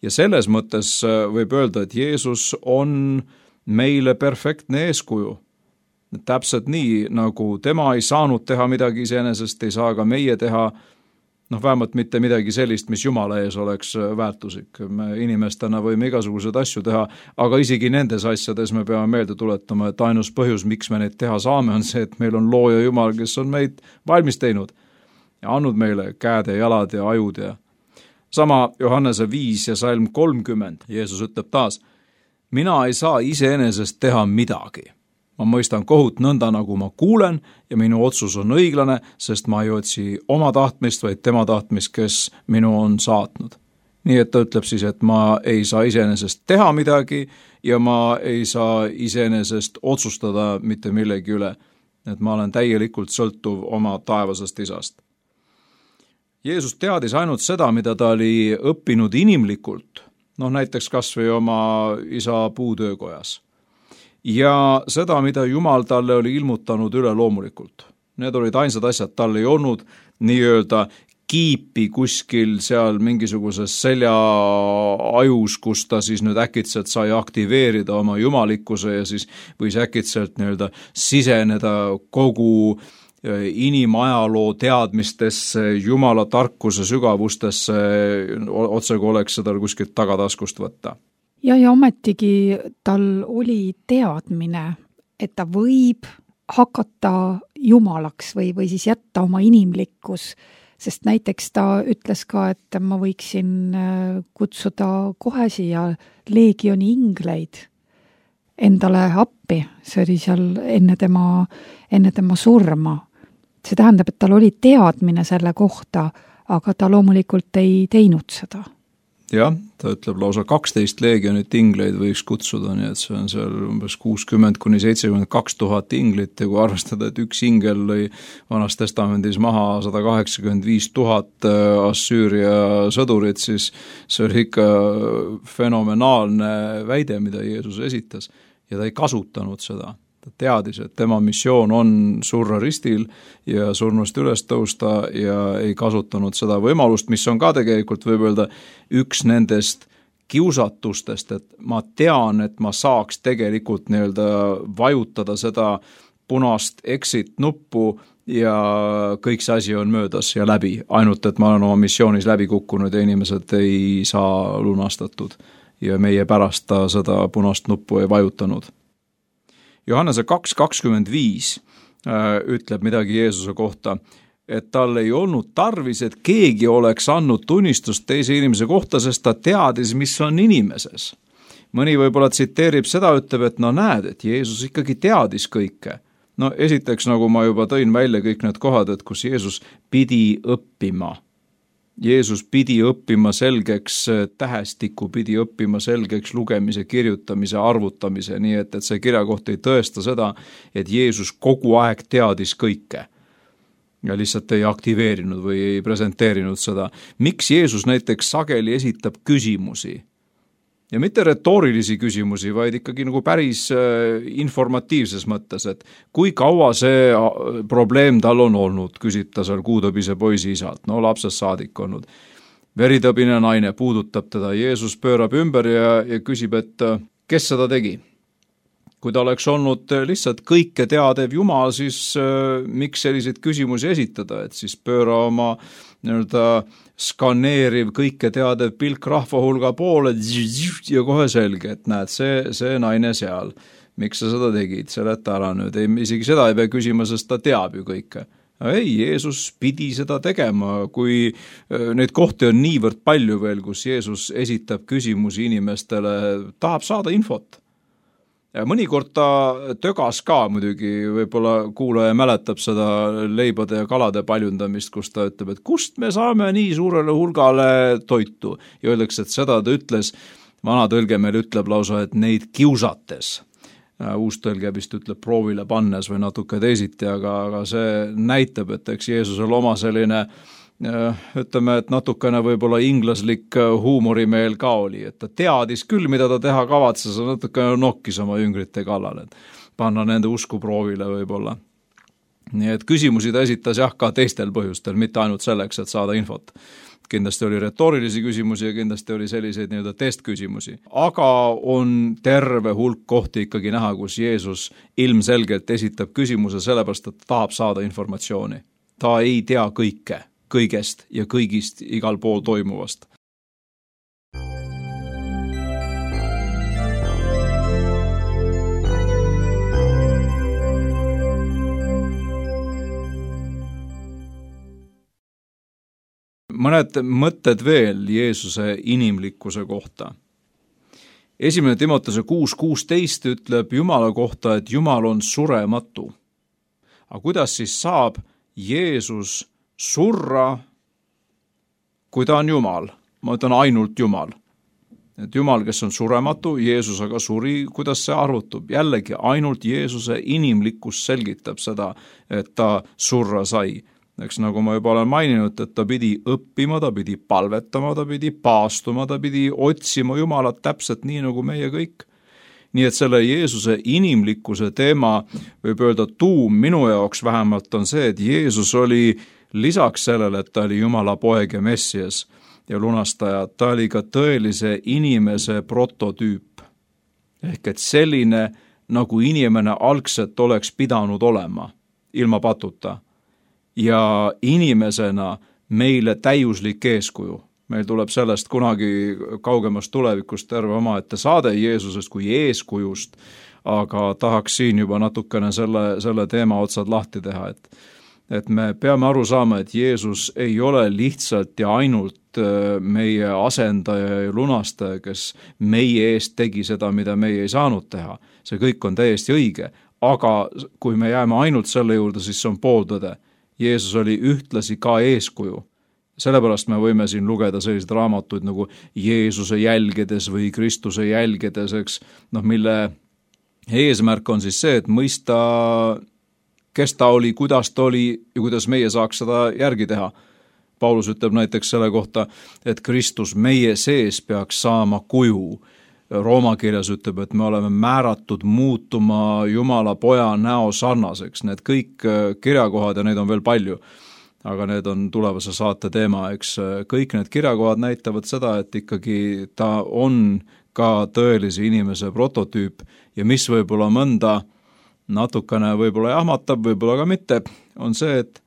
Ja selles mõttes võib öelda, et Jeesus on meile perfektne eeskuju. Täpselt nii, nagu tema ei saanud teha midagi iseenesest, ei saa ka meie teha, noh, vähemalt mitte midagi sellist, mis Jumala ees oleks väärtuslik. Me inimestena võime igasuguseid asju teha, aga isegi nendes asjades me peame meelde tuletama, et ainus põhjus, miks me neid teha saame, on see, et meil on looja Jumal, kes on meid valmis teinud ja andnud meile käed ja jalad ja ajud ja sama Johannese viis ja salm kolmkümmend. Jeesus ütleb taas, mina ei saa iseenesest teha midagi. Ma mõistan kohut nõnda, nagu ma kuulen ja minu otsus on õiglane, sest ma ei otsi oma tahtmist, vaid tema tahtmist, kes minu on saatnud. Nii et ta ütleb siis, et ma ei saa iseenesest teha midagi ja ma ei saa iseenesest otsustada mitte millegi üle. Et ma olen täielikult sõltuv oma taevasest isast. Jeesus teadis ainult seda, mida ta oli õppinud inimlikult, noh näiteks kas või oma isa puutöökojas. Ja seda, mida Jumal talle oli ilmutanud üle loomulikult. Need olid ainsad asjad, tal ei olnud nii-öelda kiipi kuskil seal mingisuguses selja ajus, kus ta siis nüüd äkitselt sai aktiveerida oma jumalikkuse ja siis võis äkitselt nii-öelda siseneda kogu inimajaloo teadmistesse, Jumala tarkuse sügavustesse, otse kui oleks seda kuskilt tagataskust võtta. Ja, ja ometigi tal oli teadmine, et ta võib hakata jumalaks või, või siis jätta oma inimlikkus, sest näiteks ta ütles ka, et ma võiksin kutsuda kohe siia leegioni ingleid endale appi, see oli seal enne tema, enne tema surma. See tähendab, et tal oli teadmine selle kohta, aga ta loomulikult ei teinud seda. Jah, ta ütleb lausa kaksteist leegionit ingleid võiks kutsuda, nii et see on seal umbes kuuskümmend kuni seitsekümmend kaks tuhat inglit ja kui arvestada, et üks ingel lõi Vanas testamendis maha sada kaheksakümmend viis tuhat Assüüria sõdurit, siis see oli ikka fenomenaalne väide, mida Jeesus esitas ja ta ei kasutanud seda. Ta teadis, et tema missioon on surra ristil ja surnust üles tõusta ja ei kasutanud seda võimalust, mis on ka tegelikult võib öelda üks nendest kiusatustest, et ma tean, et ma saaks tegelikult nii-öelda vajutada seda punast exit nuppu ja kõik see asi on möödas ja läbi, ainult et ma olen oma missioonis läbi kukkunud ja inimesed ei saa lunastatud ja meie pärast ta seda punast nuppu ei vajutanud. Johannese kaks kakskümmend viis ütleb midagi Jeesuse kohta, et tal ei olnud tarvis, et keegi oleks andnud tunnistust teise inimese kohta, sest ta teadis, mis on inimeses. Mõni võib-olla tsiteerib seda, ütleb, et no näed, et Jeesus ikkagi teadis kõike. No esiteks, nagu ma juba tõin välja kõik need kohad, et kus Jeesus pidi õppima. Jeesus pidi õppima selgeks tähestiku, pidi õppima selgeks lugemise, kirjutamise, arvutamise, nii et, et see kirjakoht ei tõesta seda, et Jeesus kogu aeg teadis kõike ja lihtsalt ei aktiveerinud või ei presenteerinud seda. Miks Jeesus näiteks sageli esitab küsimusi? Ja mitte retoorilisi küsimusi, vaid ikkagi nagu päris informatiivses mõttes, et kui kaua see probleem tal on olnud, küsib ta seal kuutõbise poisi isalt, no lapsest saadik olnud. Veritõbine naine puudutab teda, Jeesus pöörab ümber ja, ja küsib, et kes seda tegi? Kui ta oleks olnud lihtsalt kõike teadev Jumal, siis äh, miks selliseid küsimusi esitada, et siis pööra oma nii-öelda skaneeriv kõike teadev pilk rahva hulga poole ja kohe selge, et näed, see, see naine seal, miks sa seda tegid, seleta ära nüüd, ei, isegi seda ei pea küsima, sest ta teab ju kõike. Ei, Jeesus pidi seda tegema, kui neid kohti on niivõrd palju veel, kus Jeesus esitab küsimusi inimestele, tahab saada infot. Ja mõnikord ta tögas ka muidugi, võib-olla kuulaja mäletab seda leibade ja kalade paljundamist, kus ta ütleb, et kust me saame nii suurele hulgale toitu. Ja öeldakse, et seda ta ütles, vana tõlge meil ütleb lausa, et neid kiusates. Uus tõlge vist ütleb proovile pannes või natuke teisiti, aga, aga see näitab, et eks Jeesusel oma selline ütleme, et natukene võib-olla inglaslik huumorimeel ka oli, et ta teadis küll, mida ta teha kavatses, natukene nokkis oma jüngrite kallal, et panna nende usku proovile võib-olla. Nii et küsimusi ta esitas jah ka teistel põhjustel, mitte ainult selleks, et saada infot. Kindlasti oli retoorilisi küsimusi ja kindlasti oli selliseid nii-öelda testküsimusi. Aga on terve hulk kohti ikkagi näha, kus Jeesus ilmselgelt esitab küsimuse sellepärast, et ta tahab saada informatsiooni. Ta ei tea kõike. Kõigest ja kõigist igal pool toimuvast. Mõned mõtted veel Jeesuse inimlikkuse kohta. Esimene Timotese kuus kuusteist ütleb Jumala kohta, et Jumal on surematu. Aga kuidas siis saab Jeesus surra, kui ta on Jumal, ma ütlen ainult Jumal. Et Jumal, kes on surematu, Jeesus aga suri, kuidas see arvutub? Jällegi ainult Jeesuse inimlikkus selgitab seda, et ta surra sai. Eks nagu ma juba olen maininud, et ta pidi õppima, ta pidi palvetama, ta pidi paastuma, ta pidi otsima Jumalat täpselt nii nagu meie kõik. Nii et selle Jeesuse inimlikkuse teema võib öelda tuum minu jaoks vähemalt on see, et Jeesus oli lisaks sellele, et ta oli Jumala poeg ja messias ja lunastaja, ta oli ka tõelise inimese prototüüp. Ehk et selline, nagu inimene algselt oleks pidanud olema, ilma patuta. ja inimesena meile täiuslik eeskuju. Meil tuleb sellest kunagi kaugemast tulevikust terve omaette saade Jeesusest kui eeskujust, aga tahaks siin juba natukene selle, selle teema otsad lahti teha, et, et me peame aru saama, et Jeesus ei ole lihtsalt ja ainult meie asendaja ja lunastaja, kes meie eest tegi seda, mida meie ei saanud teha. See kõik on täiesti õige, aga kui me jääme ainult selle juurde, siis see on pooltõde. Jeesus oli ühtlasi ka eeskuju. Sellepärast me võime siin lugeda selliseid raamatuid nagu Jeesuse jälgedes või Kristuse jälgedes, eks, noh, mille eesmärk on siis see, et mõista, kes ta oli, kuidas ta oli ja kuidas meie saaks seda järgi teha. Paulus ütleb näiteks selle kohta, et Kristus meie sees peaks saama kuju. Rooma kirjas ütleb, et me oleme määratud muutuma Jumala poja näo sarnaseks. Need kõik kirjakohad ja neid on veel palju, aga need on tulevase saate teema, eks. Kõik need kirjakohad näitavad seda, et ikkagi ta on ka tõelise inimese prototüüp ja mis võib-olla mõnda natukene võib-olla jahmatab, võib-olla ka mitte, on see, et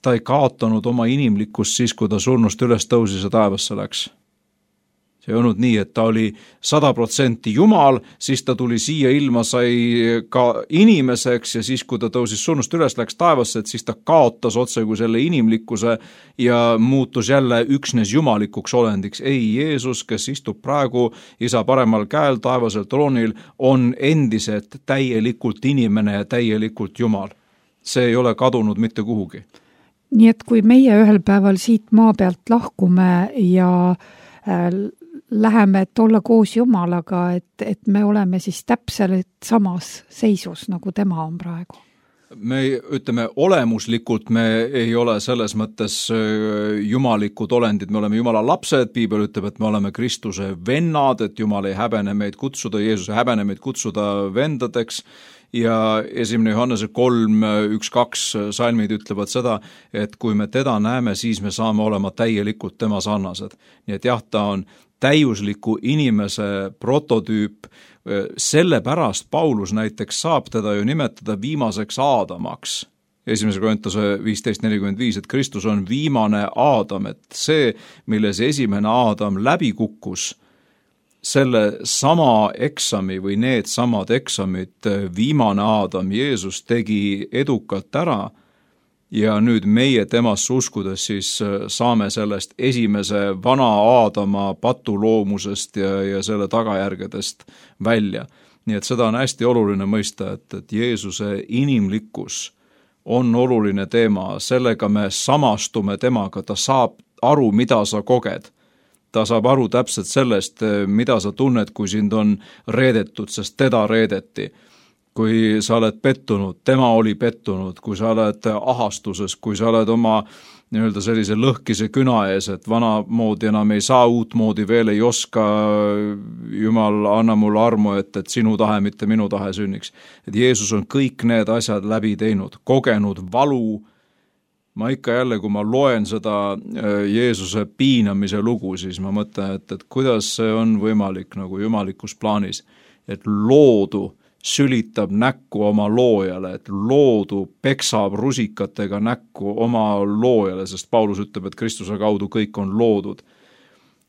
ta ei kaotanud oma inimlikkust siis, kui ta surnust üles tõusis ja taevasse läks. See ei olnud nii, et ta oli sada protsenti Jumal, siis ta tuli siia ilma, sai ka inimeseks ja siis, kui ta tõusis surnust üles, läks taevasse, et siis ta kaotas otse kui selle inimlikkuse ja muutus jälle üksnes jumalikuks olendiks. Ei, Jeesus, kes istub praegu isa paremal käel taevasel troonil, on endiselt täielikult inimene ja täielikult Jumal. See ei ole kadunud mitte kuhugi. Nii et kui meie ühel päeval siit maa pealt lahkume ja äh, läheme, et olla koos Jumalaga, et, et me oleme siis täpselt samas seisus, nagu tema on praegu. Me ütleme, olemuslikult me ei ole selles mõttes jumalikud olendid, me oleme Jumala lapsed, Piibel ütleb, et me oleme Kristuse vennad, et Jumal ei häbene meid kutsuda, Jeesus ei häbene meid kutsuda vendadeks, ja esimene Johannese kolm, üks, kaks salmid ütlevad seda, et kui me teda näeme, siis me saame olema täielikult tema sarnased. Nii et jah, ta on täiusliku inimese prototüüp, sellepärast Paulus näiteks saab teda ju nimetada viimaseks Aadamaks. Esimese Korintuse viisteist nelikümmend viis, et Kristus on viimane Aadam, et see, milles esimene Aadam läbi kukkus, selle sama eksami või need samad eksamid viimane Aadam Jeesus tegi edukalt ära ja nüüd meie temasse uskudes siis saame sellest esimese vana Aadama patuloomusest ja, ja selle tagajärgedest välja. Nii et seda on hästi oluline mõista, et, et Jeesuse inimlikkus on oluline teema, sellega me samastume temaga, ta saab aru, mida sa koged. Ta saab aru täpselt sellest, mida sa tunned, kui sind on reedetud, sest teda reedeti. Kui sa oled pettunud, tema oli pettunud, kui sa oled ahastuses, kui sa oled oma nii-öelda sellise lõhkise küna ees, et vana moodi enam ei saa, uut moodi veel ei oska, Jumal, anna mulle armu, et, et sinu tahe, mitte minu tahe sünniks. Et Jeesus on kõik need asjad läbi teinud, kogenud valu. Ma ikka jälle, kui ma loen seda Jeesuse piinamise lugu, siis ma mõtlen, et, et kuidas see on võimalik nagu jumalikus plaanis, et loodu sülitab näkku oma loojale, et loodu peksab rusikatega näkku oma loojale, sest Paulus ütleb, et Kristuse kaudu kõik on loodud.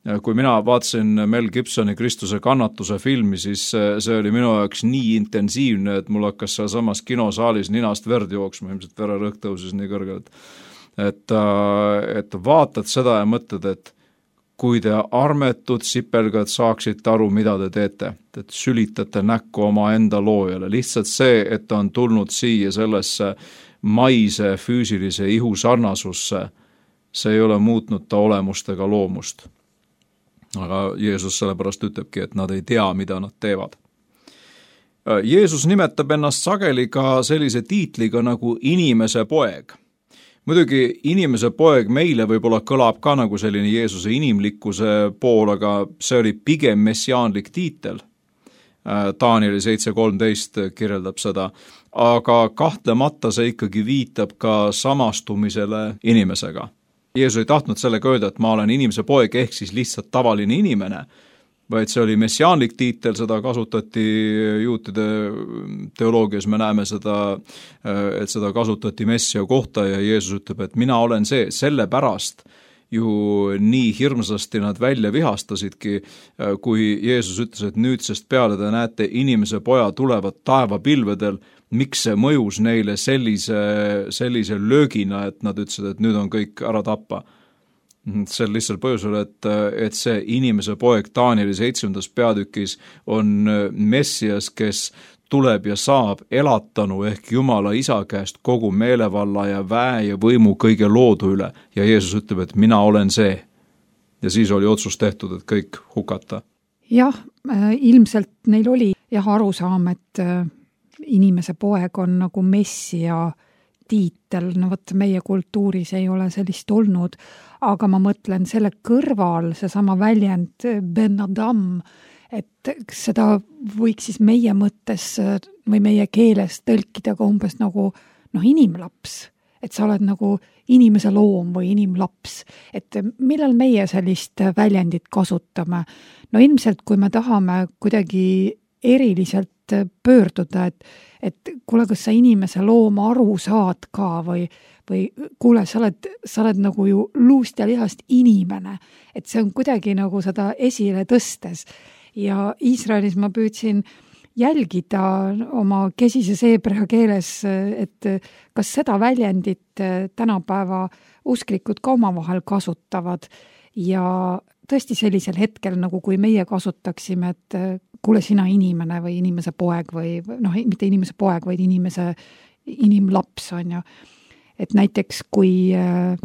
Kui mina vaatasin Mel Gibsoni Kristuse kannatuse filmi, siis see oli minu jaoks nii intensiivne, et mul hakkas seal samas kinosaalis ninast verd jooksma, ilmselt vererõhk tõusis nii kõrgelt. Et, et vaatad seda ja mõtled, et kui te armetud sipelgad saaksite aru, mida te teete, et sülitate näkku oma enda loojale. Lihtsalt see, et ta on tulnud siia sellesse maise füüsilise ihu sarnasusse, see ei ole muutnud ta olemust ega loomust. Aga Jeesus sellepärast ütlebki, et nad ei tea, mida nad teevad. Jeesus nimetab ennast sageli ka sellise tiitliga nagu inimese poeg. Muidugi inimese poeg meile võib-olla kõlab ka nagu selline Jeesuse inimlikkuse pool, aga see oli pigem messiaanlik tiitel. Danieli seitse kolmteist kirjeldab seda, aga kahtlemata see ikkagi viitab ka samastumisele inimesega. Jeesus ei tahtnud sellega öelda, et ma olen inimese poeg ehk siis lihtsalt tavaline inimene, vaid see oli messiaanlik tiitel, seda kasutati juutide teoloogias, me näeme seda, et seda kasutati messia kohta ja Jeesus ütleb, et mina olen see, sellepärast ju nii hirmsasti nad välja vihastasidki, kui Jeesus ütles, et nüüdsest peale te näete inimese poja tulevad taevapilvedel, miks see mõjus neile sellise, sellise löögina, et nad ütlesid, et nüüd on kõik ära tappa. See on lihtsalt põhjusel, et, et see inimese poeg Danieli seitsmendas peatükis on Messias, kes tuleb ja saab elatanu ehk Jumala isa käest kogu meelevalla ja väe ja võimu kõige loodu üle. Ja Jeesus ütleb, et mina olen see. Ja siis oli otsus tehtud, et kõik hukata. Jah, ilmselt neil oli jah arusaam, et inimese poeg on nagu messia tiitel, no võtta meie kultuuris ei ole sellist olnud, aga ma mõtlen selle kõrval seesama väljend Ben Adam, et seda võiks siis meie mõttes või meie keeles tõlkida ka umbes nagu noh, inimlaps, et sa oled nagu inimese loom või inimlaps, et millal meie sellist väljendit kasutame? No ilmselt, kui me tahame kuidagi eriliselt pöörduda, et, et kuule, kas sa inimese looma aru saad ka või, või kuule, sa oled, sa oled nagu ju luust ja lihast inimene, et see on kuidagi nagu seda esile tõstes. Ja Iisraelis ma püüdsin jälgida oma kesises heebrea keeles, et kas seda väljendit tänapäeva usklikud ka omavahel kasutavad ja tõesti sellisel hetkel, nagu kui meie kasutaksime, et kuule sina inimene või inimese poeg või noh, mitte inimese poeg, vaid inimese inimlaps on ju. Et näiteks kui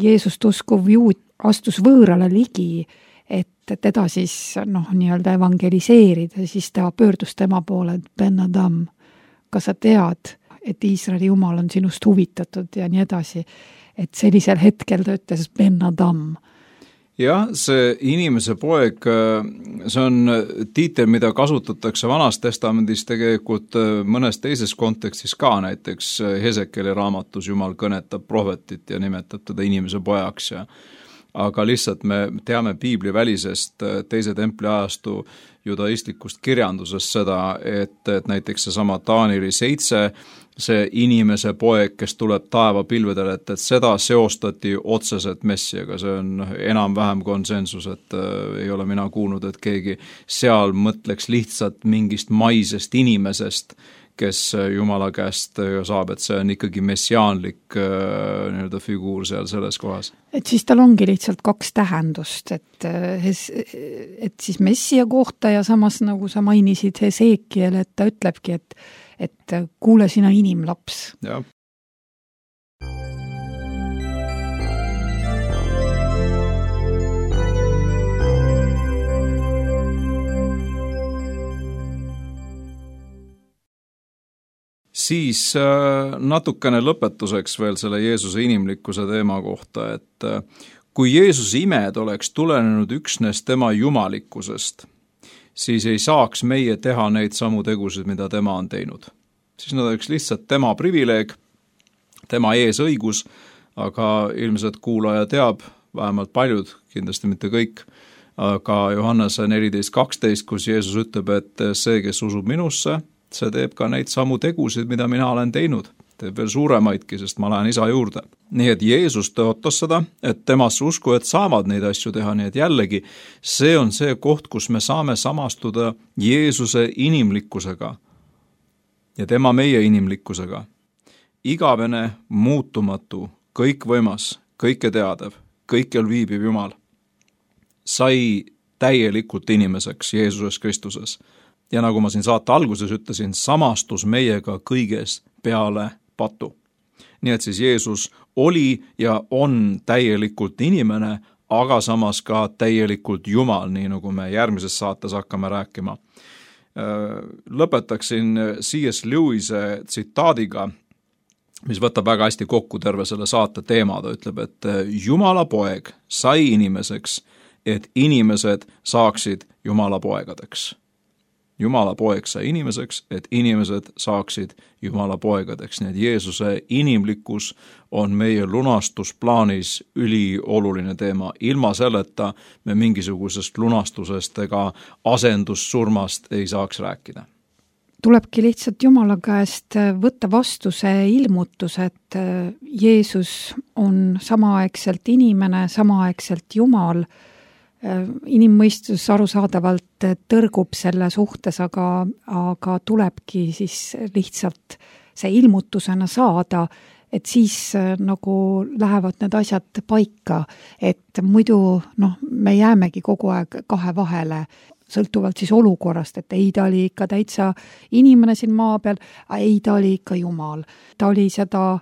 Jeesust uskuv juut astus võõrale ligi, et teda siis noh, nii-öelda evangeliseerida, siis ta pöördus tema poole, et Ben Adam, kas sa tead, et Iisraeli Jumal on sinust huvitatud ja nii edasi. Et sellisel hetkel ta ütles Ben Adam. Jah, see inimese poeg, see on tiitel, mida kasutatakse Vanas testamendis tegelikult mõnes teises kontekstis ka, näiteks Hesekieli raamatus Jumal kõnetab prohvetit ja nimetab teda inimese pojaks ja aga lihtsalt me teame piibli välisest teise templi ajastu judaistlikust kirjandusest seda, et, et näiteks seesama Danieli seitse, see inimese poeg, kes tuleb taevapilvedele, et, et seda seostati otseselt messiaga, see on enam-vähem konsensus, et äh, ei ole mina kuulnud, et keegi seal mõtleks lihtsalt mingist maisest inimesest, kes Jumala käest saab, et see on ikkagi messiaanlik äh, nii-öelda figuur seal selles kohas. Et siis tal ongi lihtsalt kaks tähendust, et, et siis messia kohta ja samas nagu sa mainisid Hesekiel, et ta ütlebki, et, et kuule sina inimlaps. Jah. Siis natukene lõpetuseks veel selle Jeesuse inimlikkuse teema kohta, et kui Jeesuse imed oleks tulenenud üksnes tema jumalikkusest, siis ei saaks meie teha neid samu tegusid, mida tema on teinud. Siis nad oleks lihtsalt tema privileeg, tema eesõigus, aga ilmselt kuulaja teab, vähemalt paljud, kindlasti mitte kõik, aga Johannese neliteist kaksteist, kus Jeesus ütleb, et see, kes usub minusse, see teeb ka neid samu tegusid, mida mina olen teinud. Teeb veel suuremaidki, sest ma lähen isa juurde. Nii et Jeesus tõotas seda, et temasse usku, et saavad neid asju teha, nii et jällegi see on see koht, kus me saame samastuda Jeesuse inimlikkusega ja tema meie inimlikkusega. Igavene, muutumatu, kõikvõimas, kõike teadev, kõikjal viibib Jumal, sai täielikult inimeseks Jeesuses Kristuses. Ja nagu ma siin saate alguses ütlesin, samastus meiega kõiges peale patu. Nii et siis Jeesus oli ja on täielikult inimene, aga samas ka täielikult Jumal, nii nagu me järgmises saates hakkame rääkima. Lõpetaksin C S Lewis'e tsitaadiga, mis võtab väga hästi kokku terve selle saate teema. Ta ütleb, et Jumala poeg sai inimeseks, et inimesed saaksid Jumala poegadeks. Jumala poeg sai inimeseks, et inimesed saaksid Jumala poegadeks. Nii et Jeesuse inimlikkus on meie lunastusplaanis ülioluline teema. Ilma selleta me mingisugusest lunastusest ega asendussurmast ei saaks rääkida. Tulebki lihtsalt Jumala käest võtta vastu see ilmutus, et Jeesus on samaaegselt inimene, samaaegselt Jumal. Inimmõistus arusaadavalt tõrgub selle suhtes, aga, aga tulebki siis lihtsalt see ilmutusena saada, et siis nagu lähevad need asjad paika, et muidu noh, me jäämegi kogu aeg kahe vahele, sõltuvalt siis olukorrast, et ei, ta oli ikka täitsa inimene siin maa peal, ei, ta oli ikka Jumal. Ta oli seda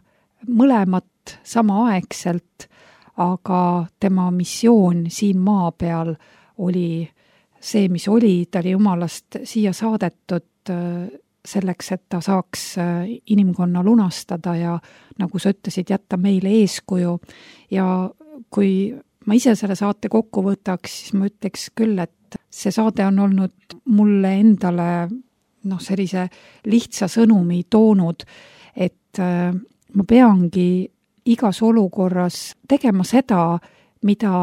mõlemat samaaegselt, aga tema missioon siin maa peal oli see, mis oli, ta oli Jumalast siia saadetud selleks, et ta saaks inimkonna lunastada ja nagu sa ütlesid, jätta meile eeskuju. Ja kui ma ise selle saate kokku võtaks, siis ma ütleks küll, et see saade on olnud mulle endale noh, sellise lihtsa sõnumi toonud, et ma peangi igas olukorras tegema seda, mida,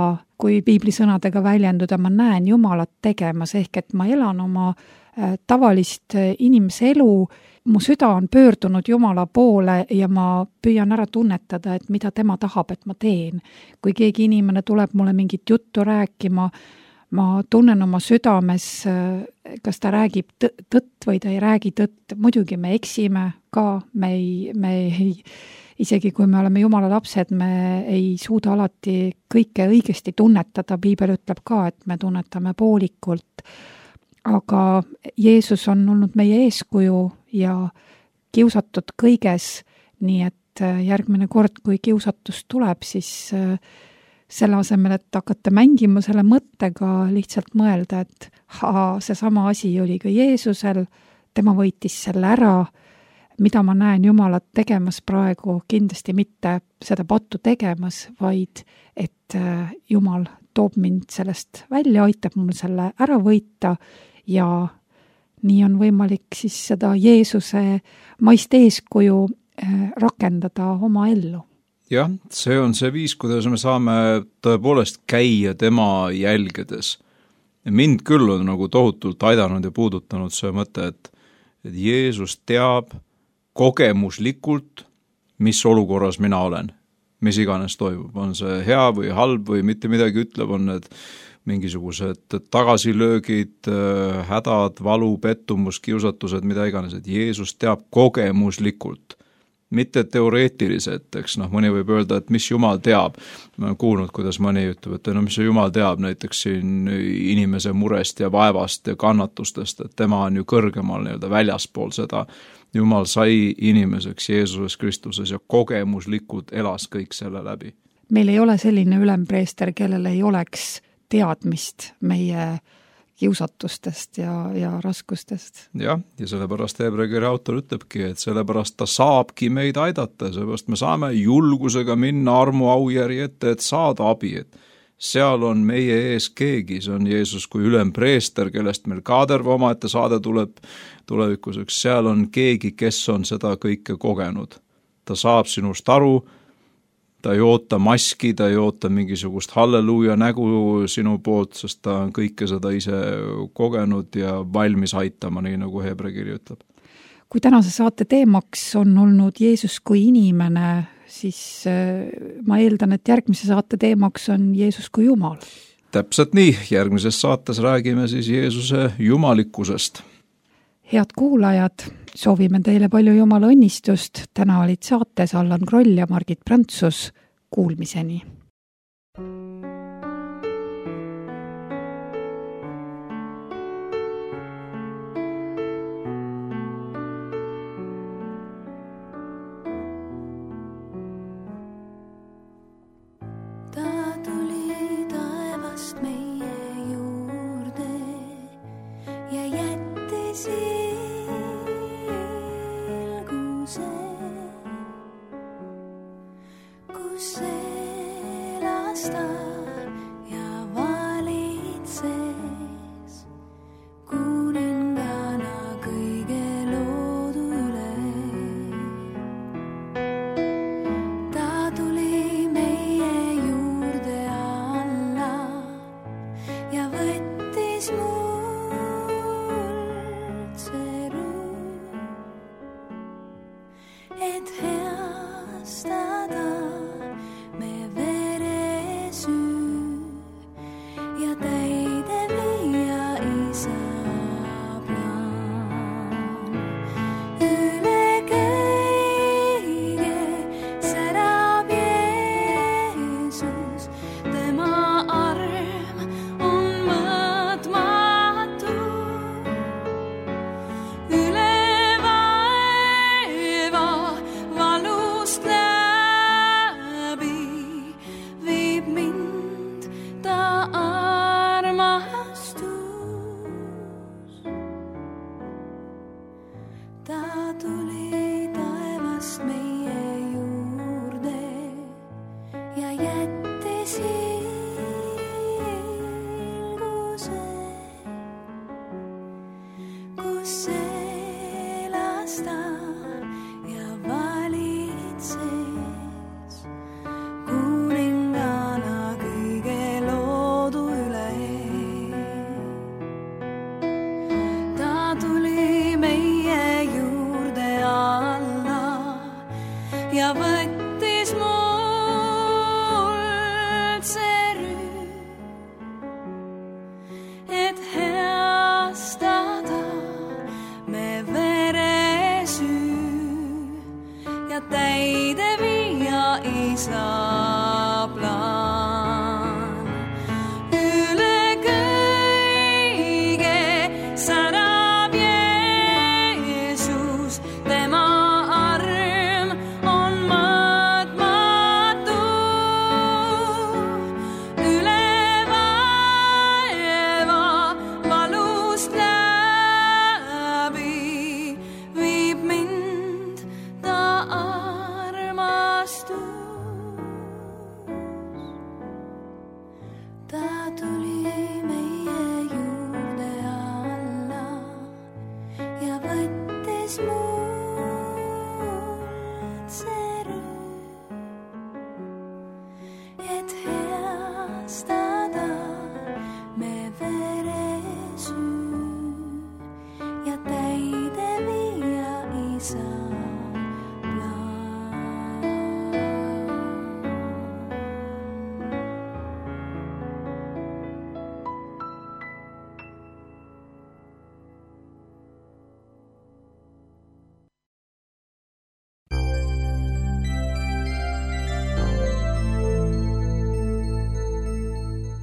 kui piibli sõnadega väljenduda, ma näen Jumalat tegemas, ehk et ma elan oma tavalist inimese elu, mu süda on pöördunud Jumala poole ja ma püüan ära tunnetada, et mida tema tahab, et ma teen. Kui keegi inimene tuleb mulle mingit juttu rääkima, ma tunnen oma südames, kas ta räägib tõtt või ta ei räägi tõtt. Muidugi me eksime ka, me ei, me ei isegi kui me oleme Jumala lapsed, me ei suuda alati kõike õigesti tunnetada. Piibel ütleb ka, et me tunnetame poolikult. Aga Jeesus on olnud meie eeskuju ja kiusatud kõiges, nii et järgmine kord, kui kiusatus tuleb, siis selle asemel, et hakata mängima selle mõttega, lihtsalt mõelda, et haa, see sama asi oli ka Jeesusel, tema võitis selle ära, mida ma näen Jumalat tegemas praegu, kindlasti mitte seda pattu tegemas, vaid et Jumal toob mind sellest välja, aitab mul selle ära võita ja nii on võimalik siis seda Jeesuse maist eeskuju rakendada oma ellu. Jah, see on see viis, kuidas me saame tõepoolest käia tema jälgedes. Mind küll on nagu tohutult aidanud ja puudutanud see mõte, et, et Jeesus teab kogemuslikult, mis olukorras mina olen, mis iganes toimub, on see hea või halb või mitte midagi ütleb, on need mingisugused tagasilöögid, hädad, valu, pettumus, kiusatused, mida iganes, et Jeesus teab kogemuslikult, mitte teoreetiliselt, eks noh, mõni võib öelda, et mis Jumal teab. Ma olen kuulnud, kuidas mõni ütleb, et no mis see Jumal teab näiteks siin inimese murest ja vaevast ja kannatustest, et tema on ju kõrgemal nii-öelda väljaspool seda. Jumal sai inimeseks Jeesuses Kristuses ja kogemuslikult elas kõik selle läbi. Meil ei ole selline ülempreester, kellel ei oleks teadmist meie kiusatustest ja, ja raskustest. Jah, ja sellepärast Hebra-kirja autor ütlebki, et sellepärast ta saabki meid aidata, sellepärast me saame julgusega minna armu aujärgi ette, et saada abi, et seal on meie ees keegi, see on Jeesus kui ülempreester, kellest meil ka terve omaette saade tuleb tulevikuseks, seal on keegi, kes on seda kõike kogenud. Ta saab sinust aru, ta ei oota maski, ta ei oota mingisugust halleluuja nägu sinu poolt, sest ta on kõike seda ise kogenud ja valmis aitama, nii nagu Hebra kiri ütleb. Kui tänase saate teemaks on olnud Jeesus kui inimene, siis ma eeldan, et järgmise saate teemaks on Jeesus kui Jumal. Täpselt nii, järgmises saates räägime siis Jeesuse jumalikkusest. Head kuulajad, soovime teile palju Jumala õnnistust. Täna olid saates Allan Kroll ja Margit Prantsus. Kuulmiseni. Ja valitses kuningas. ta tuli taevast meie juurde ja jättis hiilguse, kus elas ta ja valitses kuningana kõige loodu üle. Ta tuli meie juurde alla ja võttis muld see rüü, et heastada me veresüü ja täide viia isa plaan. Üle kõige särab Jeesus, tema arm on mõõtmatu. Üle vaeva valust läbi viib mind ta armastus. Ta tuli meie juurde alla ja võttis muld see rüü, et heastada me veresüü ja täide viia isa plaan.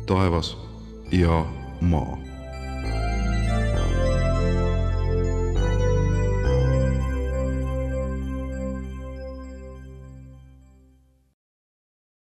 taevas ja maa.